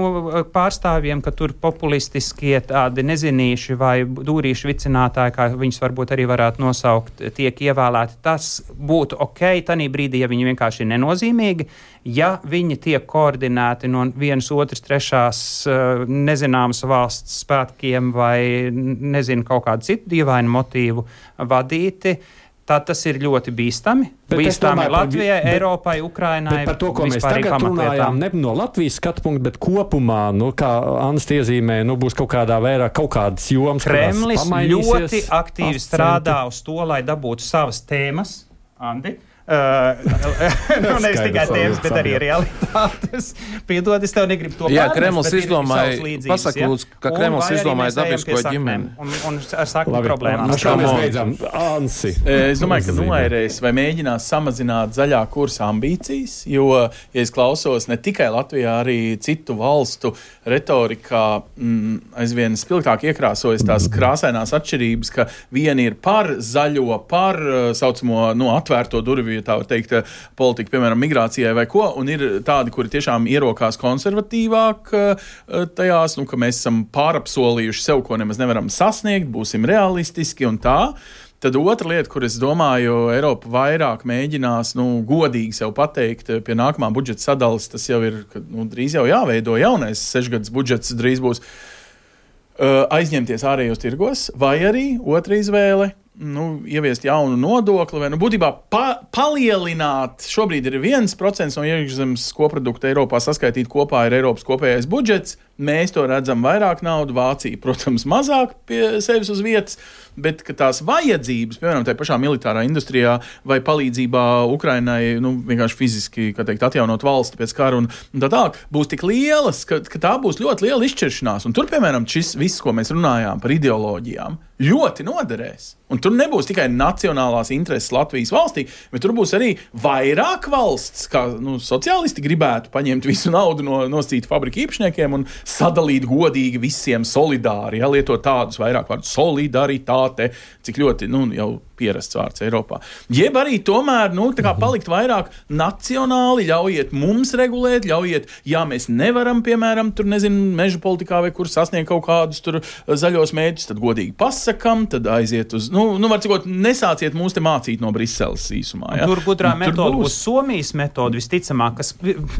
pārstāvjiem, ka tur populistiskie tādi nezinīši vai dūrīši vicinātāji, kā viņus varbūt arī varētu nosaukt, tiek ievēlēti. Tas būtu ok, tanī brīdī, ja viņi vienkārši ir nenozīmīgi, ja viņi tiek koordinēti no vienas, otras, trešās nezināmas valsts spēkiem vai nezinu kaut kādu citu dīvainu motīvu vadīti, tad tas ir ļoti bīstami. Bet bīstami Latvijai, bet, Eiropai, Ukrainai. Par to, ko mēs tagad runājām, ne no Latvijas skatu punktu, bet kopumā, nu, kā Anns iezīmē, nu, būs kaut kādā vairāk kaut kādas jomas, Kremlis ļoti aktīvi strādā uz to, lai dabūtu savas tēmas. Andi? Uh, nu, nevis tikai tēmas, bet arī realitātes. Piedod, es tev negribu to pārnest. Jā, Kremlis izdomāja, pasaka lūdzu, ka Kremlis izdomāja dabisko ģimeni. Un, un ar sakni problēmām. Kā mēs beidzam? Ansi. Es domāju, ka noērēs vai mēģinās samazināt zaļā kursa ambīcijas, jo, ja es klausos ne tikai Latvijā, arī citu valstu retorikā mm, aizvien spilgtāk iekrāsojas tās krāsainās atšķirības, ka vieni ir par zaļo, par saucamo, nu, atvērto durvju, tā var teikt, politika, piemēram, migrācijai vai ko, un ir tādi, kuri tiešām ierokās konservatīvāk tajās, nu, ka mēs esam pārapsolījuši sev, ko nemaz nevaram sasniegt, būsim realistiski un tā. Tad otra lieta, kur es domāju, Eiropa vairāk mēģinās, nu, godīgi sev pateikt pie nākamā budžeta sadalas, tas jau ir, ka, nu, drīz jau jāveido jaunais sešgads budžets, drīz būs uh, aizņemties ārējos tirgos, vai arī otra izvēle, nu, ieviest jaunu nodokli, vai, nu, būtībā pa, palielināt, šobrīd ir viens procents no iekšzemes koprodukta Eiropā saskaitīt kopā ir Eiropas kopējais budžets, mēs to redzam vairāk naudu, Vācija, protams, mazāk pie sevis uz vietas, bet ka tās vajadzības, piemēram, tajā pašā militārā industrijā vai palīdzībā Ukrainai, nu, vienkārši fiziski, kā teikt, atjaunot valsti pēc kara un, un tā tālāk, būs tik lielas, ka, ka tā būs ļoti liela izšķiršanās. Un tur, piemēram, šis viss, ko mēs runājām par ideoloģijām, ļoti noderēs. Un tur nebūs tikai nacionālās intereses Latvijas valstī, bet tur būs arī vairāk valsts, kā, nu, sociālisti gribētu paņemt visu naudu no nosacītu fabriku īpašniekiem un sadalīt godīgi visiem solidāri, ja, lietot tādus vairāk vārdus solidaritāte, cik ļoti, nu, jau pierasts vārds Eiropā. Jeb arī tomēr, nu, tā kā palikt vairāk nacionāli, ļaujiet mums regulēt, ļaujiet, ja mēs nevaram, piemēram, tur, nezinu, meža politikā vai kur sasniegt kaut kādus tur zaļos mērķus, tad godīgi pasakam, tad aiziet uz, nu, nu var cikot, nesāciet mūs te mācīt no Briseles īsumā. Ja? Tur gudrā metoda būs Somijas metoda visticamāk, kas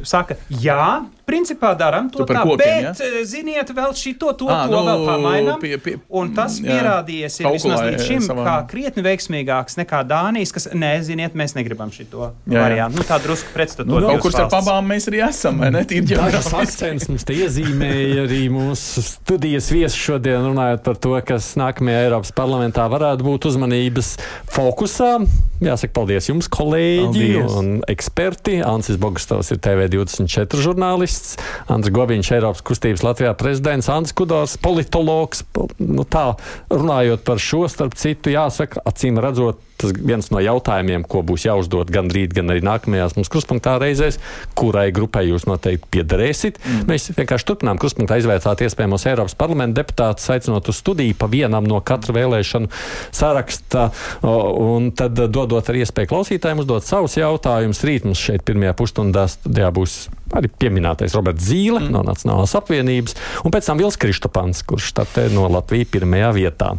saka, jā, principā daram to tā, kokiem, bet, ja? Ziniet, vēl šito, to, à, to nu, vēl pamainam, pie, pie, un tas jā, pierādījies ir vismaz līdz šim, savā... kā krietni veiksmīgāks nekā Dānijas, kas, nē, ziniet, mēs negribam šito variantu. Nu, tā drusku pretstatot. Nu, kaut kur starp abām mēs arī esam, vai ne? Dažas akcents mums te iezīmēja arī mūsu studijas viesi šodien runājot par to, kas nākamajā Eiropas parlamentā varētu būt uzmanības fokusā. Jāsaka, paldies jums, kolēģi paldies. Un eksperti. Ansis Bogustovs ir T V divdesmit četri žurnālists, Andris Gobiņš, Eiropas kustības Latvijā prezidents, Andris Kudors, politologs. Nu tā, runājot par šo, starp citu, jāsaka, acīm redzot, tas viens no jautājumiem, ko būs jāuzdod gan rīt, gan arī nākamajās mums krustpunktā reizēs, kurai grupai jūs noteikti piederēsit. Mm. Mēs vienkārši turpinām krustpunktā izvēlēt iespējamos Eiropas parlamenta deputātus, aicinot uz studiju pa vienam no katra vēlēšanu saraksta, un tad dodot arī iespēju klausītājiem uzdot savus jautājumus. Rīt mums šeit pirmajā pusstundā studijā būs arī pieminētais Roberts Zīle mm. no Nacionālās apvienības, un pēc tam Vils Krištopans, kurš štatē no Latvijas pirmajā vietā.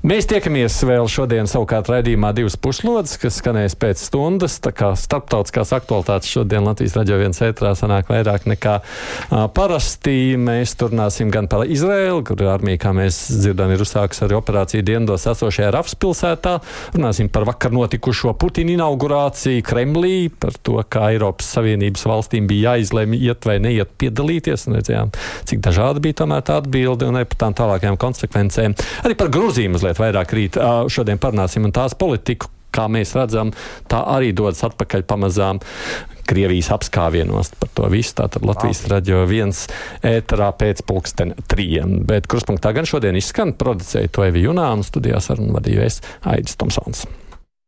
Mēs tiekamies vēl šodien savukārt raidījumā divas puslodes, kas skanēs pēc stundas. Tā kā starptautiskās aktualitātes šodien Latvijas Radio viens ētrā sanāk vairāk nekā uh, parasti. Mēs turpināsim gan par Izraēlu, kur armija, kā mēs dzirdam, ir uzsākusi arī operāciju dienvidos esošajā Rafas pilsētā. Runāsim par vakar notikušo Putina inaugurāciju Kremlī, par to, kā Eiropas Savienības valstīm bija jāizlemj iet vai neiet piedalīties. Un redzējām, cik dažādi bija tomēr tā atbilde un arī par tām tālākajām konsekvencēm. Arī par Grūziju mazliet vairāk rīt šodien parunāsim un tās politiku, kā mēs redzam, tā arī dodas atpakaļ pamazām Krievijas apskāvienos par to visu. Tātad Latvijas Radio viens ēterā pēc pulksten trījiem. Bet Kruspunktā gan šodien izskan producēja Toevi Junānu, studijā sarunu vadīju es Aidis Tomsons.